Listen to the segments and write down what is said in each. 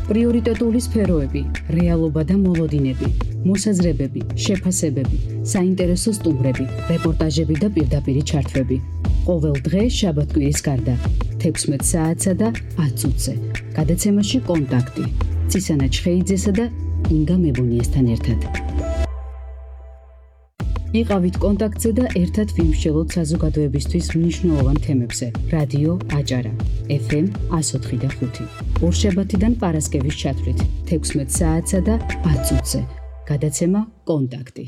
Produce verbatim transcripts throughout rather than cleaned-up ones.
პრიორიტეტული სფეროები, რეალობა და მოლოდინები, მოსაზრებები, შეფასებები, საინტერესო სტუმრები, რეპორტაჟები და პირდაპირი ჩართვები. ყოველ დღე შაბათ-კვირის გარდა, თექვსმეტ საათსა და ათ წუთზე. გადაცემაში კონტაქტი. ცისანა ჩხეიძესა და ინგა მებუნიესთან ერთად. იყავით კონტაქტზე და ერთად ვიმსჯელოთ საზოგადოებისთვის მნიშვნელოვან თემებზე. რადიო აჭარა, ეფ ემ εκατო ოთხი და ხუთი. ორშაბათიდან პარასკევის ჩათვლით, თექვსმეტ საათსა და ათ წუთზე. გადაცემა კონტაქტი.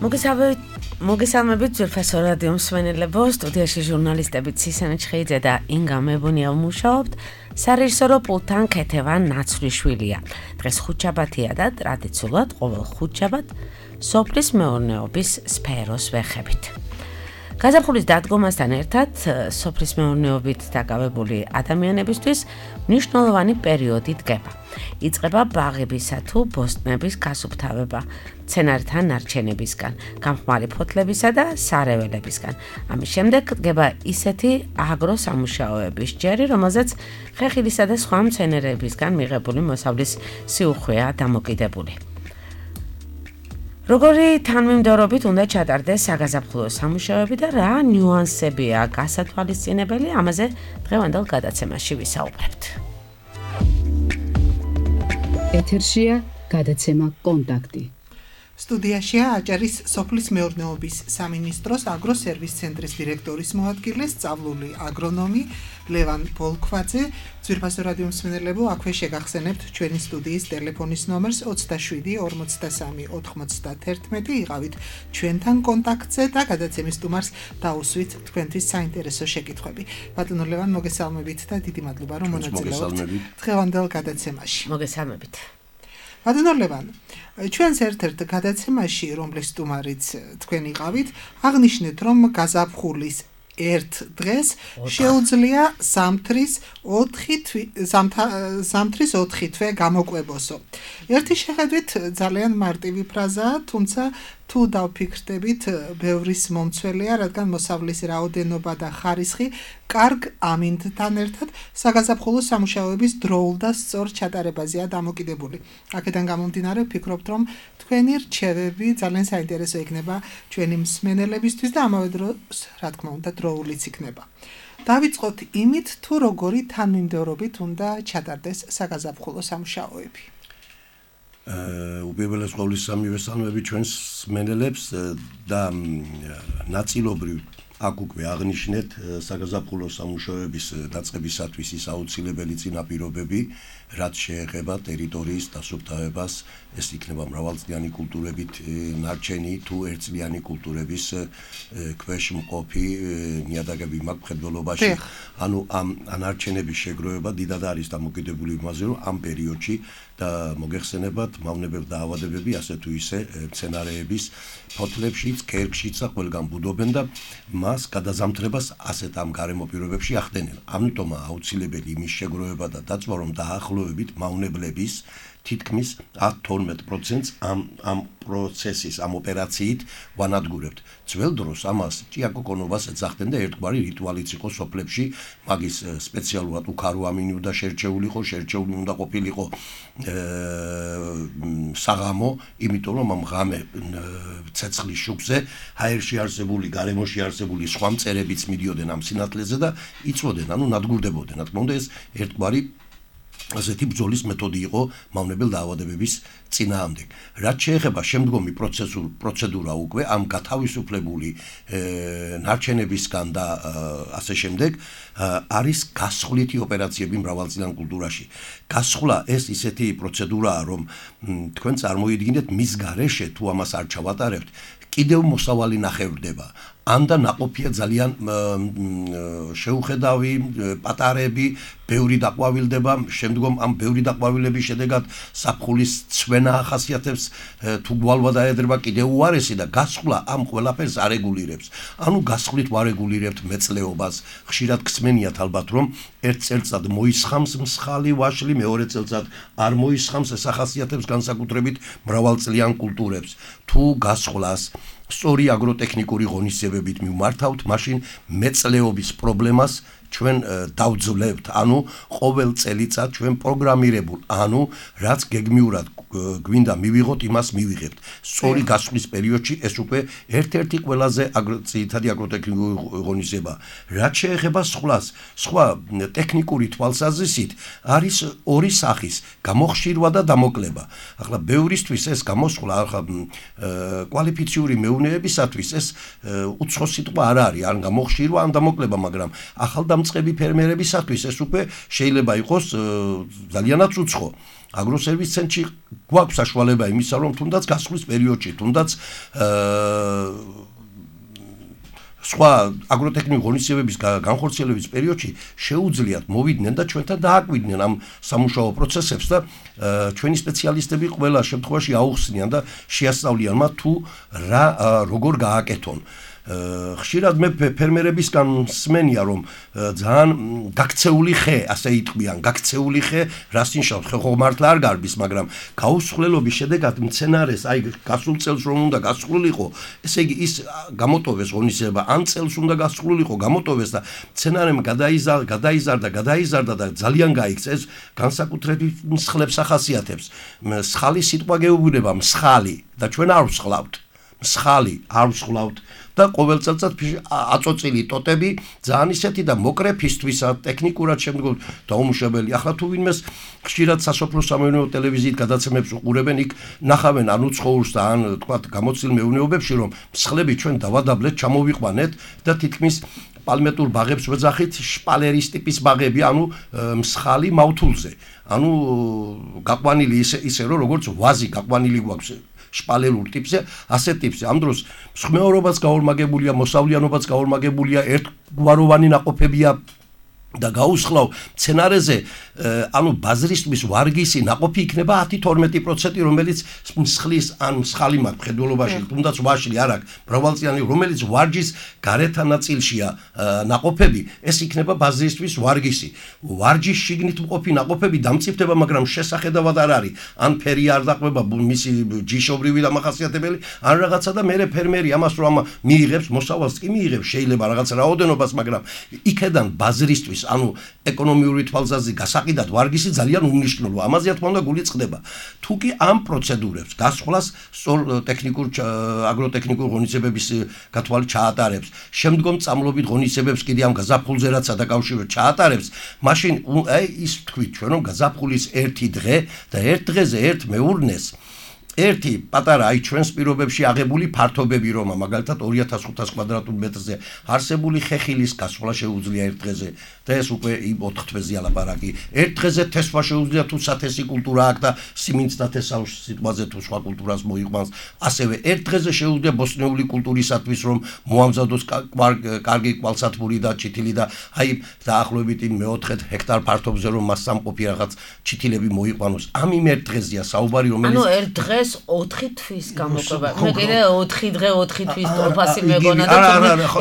მოგესალმებით, მოგესალმებით ძვირფასო რადიო მსმენელებო, სტუდიაში ჟურნალისტები ცისანა ჩხეიძე და ინგა მებუნია ვმუშაობთ. სარეჟისორო პულტთან ქეთევან ნაცვლიშვილია. დღეს ხუთშაბათია და ტრადიციულად ყოველ ხუთშაბათ სოფლის მეურნეობის სფეროს ვეხებით. გაზაფხულის დადგომასთან ერთად სოფლის მეურნეობით დაკავებული ადამიანებისთვის მნიშვნელოვანი პერიოდი დგება. იწყება ბაღებისა თუ ბოსტნების გასუფთავება, მცენარეთა ნარჩენებისგან, გამხმარი ფოთლებისა და სარეველებისგან. ამის შემდეგ დგება ისეთი აგროსამუშაოების ჯერი, რომელზეც ხეხილისა და სხვა მცენარეებისგან მიღებული მოსავლის სიუხვეა დამოკიდებული. როგორი თანმიმდევრობით უნდა ჩატარდეს საგაზაფხულო სამუშაოები და რა ნიუანსებია გასათვალისწინებელი, ამაზე დღევანდელ გადაცემაში ვისაუბრებთ. ეთერშია გადაცემა კონტაქტი. სტუდიაშია აჭარის სოფლის მეურნეობის სამინისტროს აგროსერვის ცენტრის დირექტორის მოადგილე, სწავლული აგრონომი ლევან ბოლქვაძე. ძვირფასო რადიო მსმენელებო, აქვე შეგახსენებთ ჩვენი სტუდიის ტელეფონის ნომერს ოცდაშვიდი ორმოცდასამი ოთხმოცდაათერთმეტი. იყავით ჩვენთან კონტაქტზე და გადაცემის სტუმარს დაუსვით თქვენთვის საინტერესო შეკითხვები. ბატონო ლევან, მოგესალმებით და დიდი მადლობა რომ მონაწილეობთ დღევანდელ გადაცემაში. მოგესალმებით. ბატონო ლევან, ჩვენს ერთ-ერთ გადაცემაში, რომლის სტუმარიც თქვენ იყავით, აღნიშნეთ, რომ გაზაფხულის ერთ დღეს შეუძლია ზამთრის ოთხი თვე გამოკვებოსო. ერთი შეხედვით ძალიან მარტივი ფრაზაა, თუმცა თუ დავფიქრდებით, ბევრის მომცველია, რადგან მოსავლის რაოდენობა და ხარისხი კარგ ამინდთან ერთად საგაზაფხულო სამუშაოების დროულ და სწორ ჩატარებაზეა დამოკიდებული. აქედან გამომდინარე, ვფიქრობთ, რომ თქვენი რჩევები ძალიან საინტერესო იქნება ჩვენი მსმენელებისთვის და ამავე დროს, რა თქმა უნდა, დროულიც იქნება. დავიწყოთ იმით, თუ როგორი თანმიმდევრობით უნდა ჩატარდეს საგაზაფხულო სამუშაოები. უპირველეს ყოვლისა სამივე სალმები ჩვენს მსმენელებს და ნაწილობრივ აქ უკვე აღნიშნეთ საგაზაფხულო სამუშაოების დაწყებისათვის ის აუცილებელი წინაპირობები, რაც შეეხება ტერიტორიის დასუფთავებას, ეს იქნება მრავალწლიანი კულტურებით ნარჩენი თუ ერთწლიანი კულტურების ქვეშ მყოფი ნიადაგები მაქვს მხედველობაში. ანუ ამ ნარჩენების შეგროვება დიდად არის დამოკიდებული იმაზე, რომ ამ პერიოდში და მოგეხსენებათ მავნებელ დაავადებები, ასე თუ ისე მცენარეების ფოთლებშიც, ქერქშიც და ყველგან ბუდობენ და მას გადაზამთრებას ასეთ ამ გარემო პირობებში ახდენენ. ამიტომაა აუცილებელი იმის შეგროვება და დაწვა, რომ დაახლოებით მავნებლების თითქმის ათ თორმეტ პროცენტს ამ ამ პროცესის, ამ ოპერაციით ვანადგურებთ. ძველ დროს ამას ჭიაკოკონობას ეძახდნენ და ერთგვარი რიტუალიც იყო სოფლებში, მაგის სპეციალურად უკარო ამინი უნდა შერჩეული იყო, შერჩეული უნდა ყოფილიყო საღამო, იმიტომ რომ ამ ღამე ცეცხლის შუქზე ჰაერში არსებული, გარემოში არსებული სხვა მწერებიც მიდიოდნენ ამ სინათლეზე და იწვოდნენ, ანუ ნადგურდებოდნენ. რა თქმა უნდა, ეს ერთგვარი ასეთი ბრძოლის მეთოდი იყო მავნებელ დაავადებების წინააღმდეგ. რაც შეეხება შემდგომი პროცედურა უკვე ამ გათავისუფლებული ნარჩენებისგან და ასე შემდეგ არის გასხვლითი ოპერაციები მრავალწლიან კულტურაში. გასხლა ეს ისეთი პროცედურაა, რომ თქვენ წარმოიდგინეთ მის გარეშე თუ ამას არ ჩავატარებთ, კიდევ მოსავალი ნახევრდება. ანდა ნაყოფია ძალიან შეუხედავი, პატარები, ბევრი დაყვავილდება, შემდგომ ამ ბევრი დაყვავილების შედეგად საფხულის ცვენა ახასიათებს, თუ გვალვა დაედრება კიდევ უარესი და გასხლა ამ ყველაფერს არეგულირებს. ანუ გასხლით ვარეგულირებთ მეწლეობას, ხშირად გსმენიათ ალბათ, რომ ერთ წელწად მოისხამს მსხალი ვაშლი, მეორე წელწად არ მოისხამს, ეს ახასიათებს განსაკუთრებით მრავალწლიან კულტურებს. თუ გასხლას სწორი აგროტექნიკური ღონისძიებებით მივმართავთ, მაშინ მეწლეობის პრობლემას ჩვენ დავძლებთ, ანუ ყოველ წელიწად ჩვენ პროგრამირებულ, ანუ რაც გეგმიურად გვინდა მივიღოთ, იმას მივიღებთ. სწორი გასვლის პერიოდში ეს უკვე ერთ-ერთი ყველაზე ძირითადი აგროტექნიკური ღონისძიება. რაც შეეხება სხვას, სხვა ტექნიკური თვალსაზრისით არის ორი სახის, გამოხშირვა და დამოკლება. ახლა ბევრისთვის ეს გამოსვლა, ახლა კვალიფიციური მეუნეებისათვის ეს უცხო სიტყვა არ არის, ან გამოხშირვა, ან დამოკლება, მაგრამ ახალდამწყები ფერმერებისათვის ეს უკვე შეიძლება იყოს ძალიანაც უცხო. აგროსერვის ცენტრში გვაქვს საშუალება იმისა, რომ თუნდაც გასვლის პერიოდში, თუნდაც სხვა აგროტექნიკური ღონისძიებების განხორციელების პერიოდში შეუძლიათ მოვიდნენ და ჩვენთან დააკვირდნენ ამ სამუშაო პროცესებს და ჩვენი სპეციალისტები ყველა შემთხვევაში აუხსნიან და შეასწავლიან მათ თუ რა როგორ გააკეთონ. ხშირად მე ფერმერებისგან მსმენია, რომ ძალიან გაქცეული ხე, ასე იტყვიან, გაქცეული ხე, რას ნიშნავს, ხე ხო მართლა არ გარბის, მაგრამ გაუსხლელობის შედეგად მცენარეს, აი გასულ წელს რომ უნდა გასხლულიყო, ესე იგი ის გამოტოვეს ღონისძიება, ან წელს უნდა გასხლულიყო, გამოტოვეს და მცენარემ გადაიზარდა, გადაიზარდა, გადაიზარდა და ძალიან გაიქცა, ეს განსაკუთრებით მსხლებს ახასიათებს. მსხალი სიტყვა გეუბნება, მსხალი და ჩვენ არ ვსხლავთ. მსხალი არ ვსხლავთ. და ყოველ წელწად აწოწილი ტოტები ძალიან ისეთი და მოკრე ფისთვისა, ტექნიკურად შემდგომ დაუმუშავებელი. ახლა თუ ვინმეს ხშირად სასოფლო სამეურნეო ტელევიზიით გადაცემებს უყურებენ, იქ ნახავენ ან უცხოურს და ან თქვათ გამოცდილ მეურნეობებში, რომ მსხლები ჩვენ დავადაბლეთ, ჩამოვიყვანეთ და თითქმის პალმეტურ ბაღებს ვეძახით შპალერის ტიპის ბაღები, ანუ მსხალი მავთულზე. ანუ გაყვანილი ისე ისე რომ როგორც ვაზი გაყვანილი გვაქვს შპალერულ ტიპზე, ასე ტიპზე. ამ დროს მსხმეობაც გაორმაგებულია, მოსავლიანობაც გაორმაგებულია, ერთგვაროვანი ნაყოფებია და გაუსხლავ მცენარეზე, ანუ ბაზრისთვის ვარგისი ნაყოფი იქნება ათი თორმეტი პროცენტი, რომელიც მსხლის ან მსხალი მაქვს მხედველობაში, თუნდაც ვაშლი არ აქვს, მრავალწლიანი, რომელიც ვარჯის გარეთა ნაწილშია ნაყოფები, ეს იქნება ბაზრისთვის ვარგისი. ვარჯის შიგნით მყოფი ნაყოფები დამწიფდება, მაგრამ შესახედავად არ არის. ან ფერი არ დაყვება მისი ჯიშობრივი დამახასიათებელი, ან რაღაცა და მე ფერმერი ამას რომ მიიღებს, მოსავალს კი მიიღებს, შეიძლება რაღაც რაოდენობას, მაგრამ იქედან ბაზრისთვის ანუ ეკონომიური თვალსაზრისით გასაყიდად ვარგისი ძალიან უმნიშვნელოა. ამაზე რა თქმა უნდა გული წყდება. თუ კი ამ პროცედურებს გასხვლას სწორ ტექნიკურ აგროტექნიკურ ღონისძიებების გათვალით ჩაატარებს, შემდგომ წამლობით ღონისძიებებს კიდე ამ გაზაფხულზე რაც დაკავშირებით ჩაატარებს, მაშინ აი ის თქვით ჩვენ რომ გაზაფხულის ერთი დღე და ერთ დღეზე ერთ მეურნეს ერთი პატარა აი ჩვენს პირობებში აღებული ფართობები რომ მაგალითად ორი ათას ხუთას კვადრატულ მეტრზე არსებული ხეხილის გასვლა შეუძლია ერთ დღეზე და ეს უკვე ოთხ თვეზე ალაპარაკი. ერთ დღეზე თესვა შეუძლია თუ სათესი კულტურა აქვს და სიმინდს და თესავს სიტყვაზე თუ სხვა კულტურას მოიყვანს. ასევე ერთ დღეზე შეუძლია ბოსნეული კულტურისათვის რომ მოამზადოს კარგი კვალსათმური და ჩითილი და აი დაახლოებით მეოთხე ჰექტარ ფართობზე რომ მას სამყოფი რაღაც ჩითილები მოიყვანოს. ამ იმ ერთ დღეზეა საუბარი რომელიც ანუ ერთ დღეს ოთხი თვის გამოყვება. მე კიდე ოთხი დღე ოთხი თვის ტოფასი მეგონა და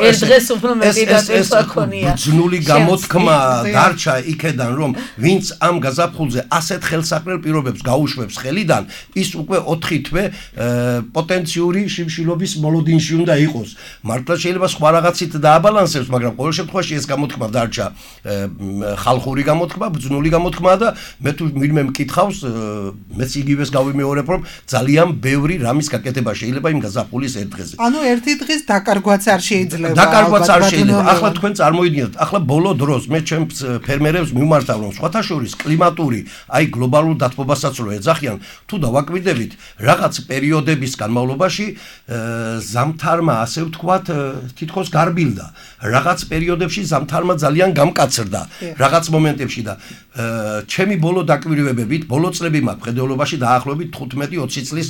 ერთ დღეს უფრო მეტი დაწესვა ქონია. ბრძნული გამოთქმა დარჩა იქედან რომ ვინც ამ გაზაფხულზე ასეთ ხელსაყრელ პირობებს გაუშვებს ხელიდან, ის უკვე ოთხი თვე პოტენციური შიმშილობის მოლოდინში უნდა იყოს. მართლა შეიძლება სხვა რაღაცით დააბალანსებს, მაგრამ ყოველ შემთხვევაში ეს გამოთქმა დარჩა ხალხური გამოთქმა, ბრძნული გამოთქმა და მე თუ ვინმე მკითხავს, მეც იგივეს გავიმეორებ, რომ ძალიან ბევრი რამის გაკეთება შეიძლება იმ გაზაფხულის ერთ დღეზე. ანუ ერთი დღის დაკარგვაც არ შეიძლება. დაკარგვაც არ შეიძლება. ახლა თქვენ წარმოიდგინეთ, ახლა ბოლო დროს მე ჩემს ფერმერებს მიმართავ, რომ სხვათა შორის კლიმატური, აი გლობალურ დათბობასაც რო ეძახიან, თუ დავაკვირდებით, რაღაც პერიოდების განმავლობაში ზამთარმა, ასე ვთქვათ, თითქოს გარბილდა. რაღაც პერიოდებში ზამთარმა ძალიან გამკაცრდა, რაღაც მომენტებში და ჩემი ბოლო დაკვირვებებით, ბოლო წლები მაქვს მხედველობაში დაახლოებით თხუთმეტი ოცი წლის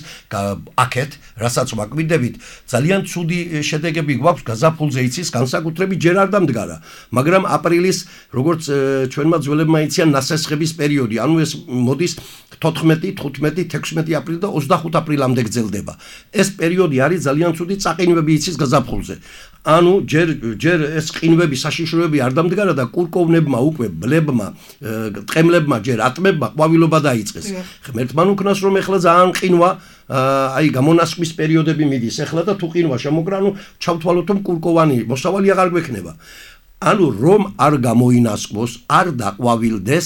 აქეთ, რასაც ვაკვირდებით, ძალიან ცუდი შედეგები გვაქვს გაზაფხულზე იცის, განსაკუთრებით ჯერ არ დამდგარა, მაგრამ აპრილის, როგორც ჩვენმა ძველებმა იციან, ნასესხების პერიოდი, ანუ ეს მოდის თოთხმეტი, თხუთმეტი, თექვსმეტი აპრილი და ოცდახუთ აპრილამდე გრძელდება. ეს პერიოდი არის ძალიან ცუდი, წაყინვები იცის გაზაფხულზე. ანუ ჯერ ჯერ ეს ყინვები საშიშროები არ დამდგარა და კურკოვნებმა უკვე ბლებმა ტყემლებმა ჯერ ატმებმა ყვავილობა დაიწყეს. ღმერთმა უკნას რომ ეხლა ძალიან ყინვა აი გამონასყვის პერიოდები მიდის ეხლა და თუ ყინვა შემოგრანო ჩავთვალოთ რომ კურკოვანი მოსავალი აღარ გვექნება. ანუ რომ არ გამოინასყოს, არ დაყვავილდეს,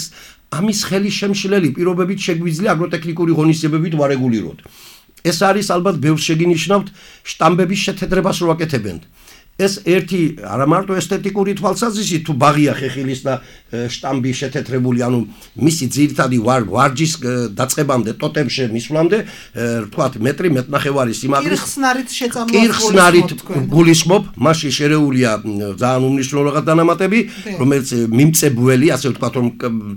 ამის ხელი შემშლელი პირობებით შეგვიძლია აგროტექნიკური ღონისძიებებით ვარეგულიროთ. ეს არის ალბათ ბევრს შეგინიშნავთ შტამბების შეთეთრებას რო აკეთებენ. ეს ერთი არა მარტო ესთეტიკური თვალსაზრისით თუ ბაღია ხეხილის და შტამბი შეთეთრებული, ანუ მისი ძირითადი ვარჯის დაწყებამდე, ტოტემში მისვლამდე, თქვათ მეტრი მეტნახევარი სიმაღლის კირხსნარით შეწამლოს კირხსნარით გულისხმობ, მასში შერეულია ძალიან უმნიშვნელო რაღაც დანამატები, რომელიც მიმწებველი, ასე ვთქვათ, რომ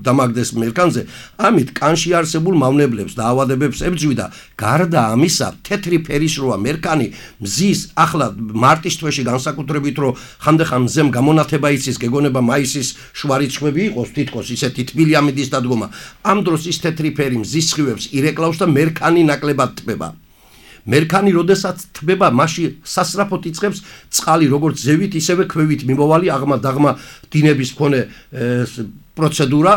დამაგდეს მერქანზე, ამით კანში არსებულ მავნებლებს და ავადებებს ებძვი და გარდა ამისა, თეთრი ფერის როა მერქანი მზის ახლა მარტის თვეში განსაკუთრებით რომ ხანდახან მზემ გამონათება იცის, გეგონება მაისის შუარიცხვები იყოს თითქოს ისეთი თბილი ამიდის დადგომა. ამ დროს ის თეთრი ფერი მზის სხივებს ირეკლავს და მერქანი ნაკლებად თბება. მერქანი როდესაც თბება, მასში სასწრაფოდ იწყებს წყალი, როგორც ზევით, ისევე ქვევით მიმოვალი აღმა დაღმა დინების მქონე პროცედურა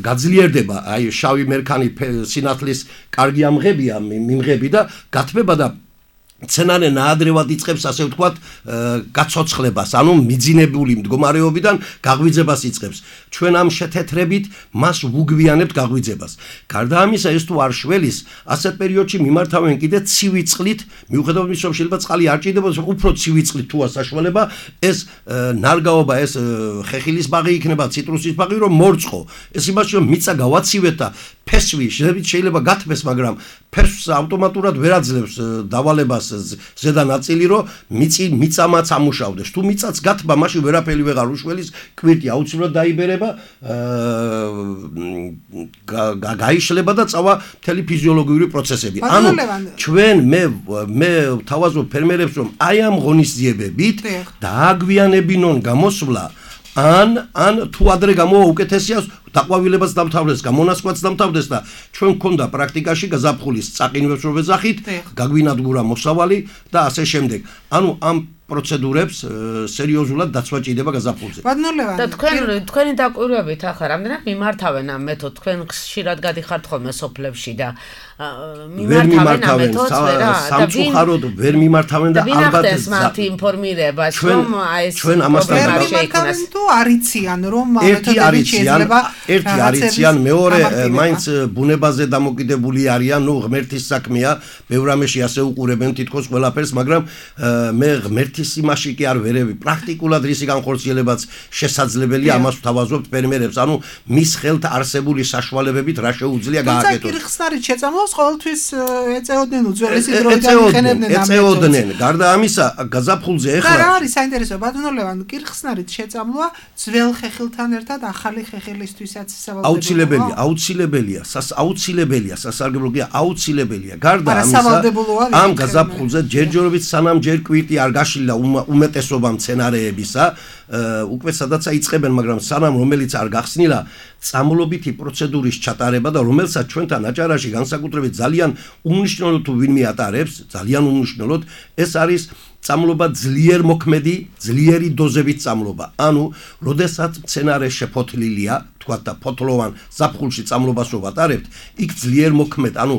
გაძლიერდება. აი შავი მერქანი სინათლის კარგი ამღებია, მიმღები და გათბება და მცენარე ნაადრევად იწყებს, ასე ვთქვათ, გაცოცხლებას, ანუ მიძინებული მდგომარეობიდან გაღვიძებას იწყებს. ჩვენ ამ შეთეთრებით მას ვუგვიანებთ გაღვიძებას. გარდა ამისა, ეს თუ არ შველის, ასეთ პერიოდში მიმართავენ კიდე ცივი წყლით, მიუხედავად იმისა, რომ შეიძლება წყალი არ ჭირდებოდეს, უფრო ცივი წყლით თუა საშუალება, ეს ნარგაობა, ეს ხეხილის ბაღი იქნება, ციტრუსის ბაღი, რომ მორწყო. ეს იმაში, რომ მიწა გავაცივეთ და ფესვი შეიძლება გათბეს, მაგრამ ფესვს ავტომატურად ვერ აძლევს დავალებას ზედა ნაწილი, რომ მიწი მიწამაც ამუშავდეს. თუ მიწაც გათბა, მაშინ ვერაფერი ვეღარ უშველის, კვირტი აუცილებლად დაიბერება, გაიშლება და წავა მთელი ფიზიოლოგიური პროცესები. ანუ ჩვენ მე მე ვთავაზობ ფერმერებს, რომ აი ამ ღონისძიებებით დააგვიანებინონ გამოსვლა, ან ან თუ ადრე გამოვა უკეთესია დაყვავილებას დამთავრდეს, გამონასყვაც დამთავრდეს და ჩვენ გქონდა პრაქტიკაში გაზაფხულის წაყინვებს რო ვეძახით, გაგვინადგურა მოსავალი და ასე შემდეგ. ანუ ამ პროცედურებს სერიოზულად დაცვა ჭირდება გაზაფხულზე. ბატონო და თქვენ თქვენი დაკვირვებით ახლა რამდენად მიმართავენ ამ მეთოდს? თქვენ ხშირად გადიხართ ხოლმე სოფლებში და მიმართავენ ამ მეთოდს და სამწუხაროდ ვერ მიმართავენ და ალბათ მათ ინფორმირებას რომ აი ეს ჩვენ ამასთან მიმართავენ თუ არიციან რომ ამ მეთოდებით შეიძლება ერთი არიციან, მეორე მაინც ბუნებაზე დამოკიდებული არიან, ნუ ღმერთის საქმეა, ბევრ რამეში ასე უყურებენ თითქოს ყველაფერს, მაგრამ მე ღმერთის იმაში კი არ ვერევი. პრაქტიკულად რისი განხორციელებაც შესაძლებელია, ამას ვთავაზობთ ფერმერებს, ანუ მის ხელთ არსებული საშუალებებით რა შეუძლია გააკეთოს. თუმცა კირხსნარით შეწამლოს ყოველთვის ეწეოდნენ უძველესი დროიდან იყენებდნენ ამ მეთოდს. ეწეოდნენ. გარდა ამისა, გაზაფხულზე ეხლა რა არის საინტერესო, ბატონო ლევან, კირხსნარით შეწამლვა ძველ ხეხილთან ერთად ახალი ხეხილისთვისაც სავალდებელია. აუცილებელია, აუცილებელია, აუცილებელია, სასარგებლოა, აუცილებელია. გარდა ამისა, ამ გაზაფხულზე ჯერჯერობით სანამ ჯერ კვირტი არ გაშლილა უმეტესობა მცენარეებისა, უკვე სადაც აიწყებენ, მაგრამ სანამ რომელიც არ გახსნილა, წამლობითი პროცედურის ჩატარება და რომელსაც ჩვენთან აჭარაში განსაკუთრებით ძალიან უმნიშვნელოდ თუ ვინმე ატარებს, ძალიან უმნიშვნელოდ, ეს არის წამლობა ძლიერ მოქმედი, ძლიერი დოზებით წამლობა. ანუ, როდესაც მცენარე შეფოთლილია, თქვათ და ფოთლოვან ზაფხულში წამლობას რო ვატარებთ, იქ ძლიერ მოქმედ, ანუ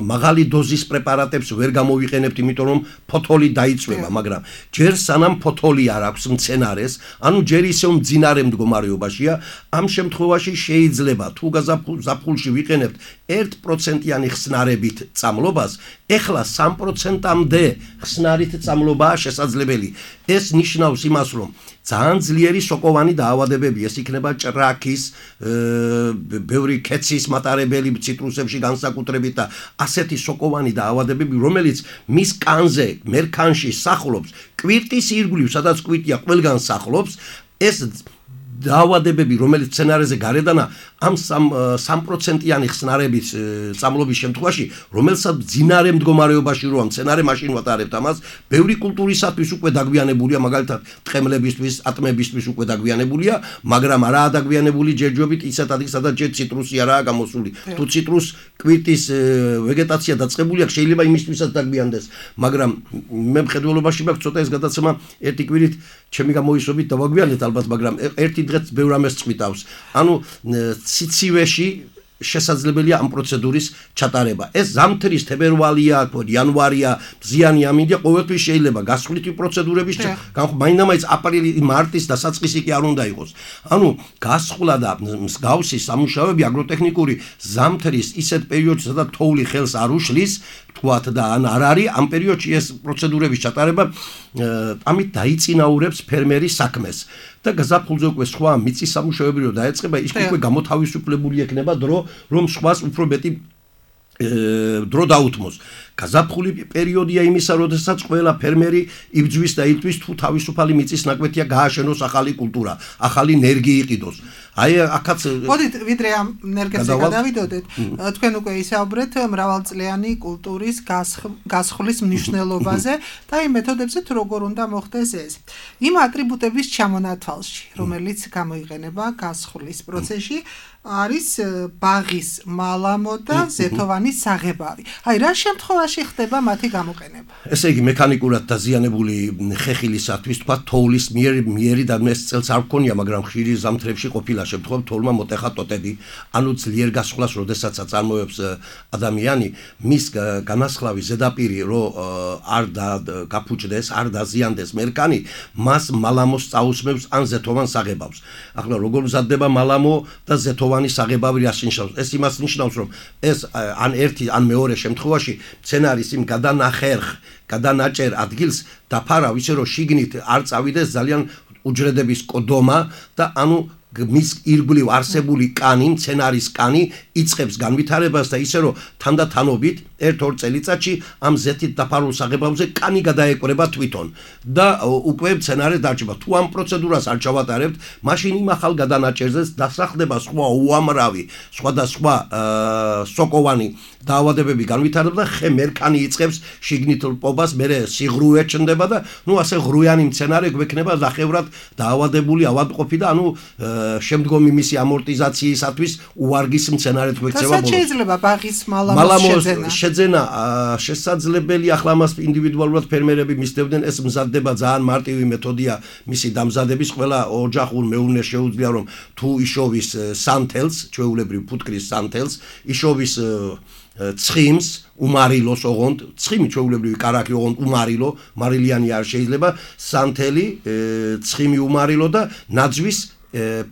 მაღალი დოზის პრეპარატებს ვერ გამოვიყენებთ, იმიტომ რომ ფოთოლი დაიწვება, მაგრამ ჯერ სანამ ფოთოლი არ აქვს მცენარეს, ანუ ჯერ ისევ მძინარე მდგომარეობაშია, ამ შემთხვევაში შეიძლება თუ გაზაფხულში ვიყენებთ ერთ პროცენტიანი ხსნარებით წამლობას, ეხლა სამ პროცენტამდე ხსნარით წამლობაა შესაძლებელი. ეს ნიშნავს იმას, რომ ძალიან ძლიერი სოკოვანი დაავადებები, ეს იქნება ჭრაქის, ბევრი ქეცის მატარებელი ციტრუსებში განსაკუთრებით და ასეთი სოკოვანი დაავადებები, რომელიც მის კანზე, მერქანში სახლობს, კვირტის ირგვლივ, სადაც კვირტია, ყველგან სახლობს, ეს დაავადებები, რომელიც სცენარეზე გარედანა ამ სამი პროცენტიანი ხსნარების წამლობის შემთხვევაში, რომელსაც ძინარე მდგომარეობაში როა სცენარე მაშინ ვატარებთ ამას, ბევრი კულტურისათვის უკვე დაგვიანებულია, მაგალითად, ტყემლებისთვის, ატმებისთვის უკვე დაგვიანებულია, მაგრამ არაა დაგვიანებული ჯერჯერობით ისეთ ადგილ, სადაც ჯერ ციტრუსი არაა გამოსული. თუ ციტრუს კვირტის ვეგეტაცია დაწყებული აქვს, შეიძლება იმისთვისაც დაგვიანდეს, მაგრამ მე მხედველობაში მაქვს ცოტა ეს გადაცემა ერთი კვირით ჩემი გამოისობით დავაგვიანეთ ალბათ, მაგრამ ერთი დღეც ბევრ ამას წვითავს. ანუ ციცივეში შესაძლებელია ამ პროცედურის ჩატარება. ეს ზამთრის თებერვალია, იანვარია, მზიანი ამინდია, ყოველთვის შეიძლება გასხვლითი პროცედურების მაინდამაინც აპრილი, მარტის დასაწყისი კი არ უნდა იყოს. ანუ გასხლა და მსგავსი სამუშაოები აგროტექნიკური ზამთრის ისეთ პერიოდში, სადაც თოვლი ხელს არ უშლის, თქვათ და ან არ არის ამ პერიოდში ეს პროცედურების ჩატარება ამით დაიწინაურებს ფერმერის საქმეს. და გაზაფხულზე უკვე სხვა მიწის სამუშაოები რო დაეწყება, ის უკვე გამოთავისუფლებული ექნება დრო, რომ სხვას უფრო მეტი დრო დაუთმოს. გაზაფხული პერიოდია იმისა, როდესაც ყველა ფერმერი იბძვის და იტყვის თუ თავისუფალი მიწის ნაკვეთია გააშენოს ახალი კულტურა, ახალი ენერგი იყიდოს. აი აქაც მოდით ვიდრე ამ ენერგიაზე გადავიდოდეთ, თქვენ უკვე ისაუბრეთ მრავალწლიანი კულტურის გასხლის მნიშვნელობაზე და იმ მეთოდებზე თუ როგორ უნდა მოხდეს ეს. იმ ატრიბუტების ჩამონათვალში, რომელიც გამოიყენება გასხლის პროცესში, არის ბაღის მალამო და ზეთოვანი საღებავი. აი რა შემთხვევაში ხდება მათი გამოყენება? ესე იგი მექანიკურად დაზიანებული ხეხილისათვის თქვა თოვლის მიერ მიერი და ეს წელს არ გქონია, მაგრამ ხშირი ზამთრებში ყოფილა შემთხვევა თოვლმა მოტეხა ტოტები, ანუ ძლიერ გასხლას, როდესაც აწარმოებს ადამიანი, მის განასხლავი ზედაპირი რო არ გაფუჭდეს, არ დაზიანდეს მერქანი, მას მალამოს წაუსმევს ან ზეთოვან საღებავს. ახლა როგორ მზადდება მალამო და ზეთოვანი საღებავი რას ნიშნავს? ეს იმას ნიშნავს, რომ ეს ან ერთი ან მეორე შემთხვევაში სცენარის იმ გადანახერხ, გადანაჭერ ადგილს დაფარავ ისე რომ შიგნით არ წავიდეს ძალიან უჯრედების კოდომა და ანუ მის ირგვლივ არსებული კანი, სცენარის კანი იწყებს განვითარებას და ისე რომ თანდათანობით ერთ-ორ წელიწადში ამ ზეთით დაფარულ საღებავზე კანი გადაეკვრება თვითონ და უკვე სცენარი დარჩება. თუ ამ პროცედურას არ ჩავატარებთ, მაშინ იმ ახალ გადანაჭერზე დასახლდება სხვა უამრავი, სხვადასხვა სოკოვანი დაავადებები განვითარდება და ხე მერქანი იწყებს შიგნით ლპობას, მერე სიღრუე ჩნდება და ნუ ასე ღრუიანი სცენარი გვექნება ნახევრად დაავადებული ავადმყოფი და ანუ შემდგომი მისი ამორტიზაციისათვის უარგის სცენარით გვექცევა ბოლოს. რასაც შეიძლება ბაღის მალამოს შეძენა? შეძენა შესაძლებელი, ახლა მას ინდივიდუალურად ფერმერები მისდევდნენ, ეს მზადდება ძალიან მარტივი მეთოდია მისი დამზადების, ყველა ოჯახურ მეურნეს შეუძლია რომ თუ იშოვის სანთელს, ჩვეულებრივ ფუტკრის სანთელს, იშოვის ცხიმს, უმარილოს ოღონდ, ცხიმი ჩვეულებრივი კარაქი ოღონდ უმარილო, მარილიანი არ შეიძლება, სანთელი, ცხიმი უმარილო და ნაძვის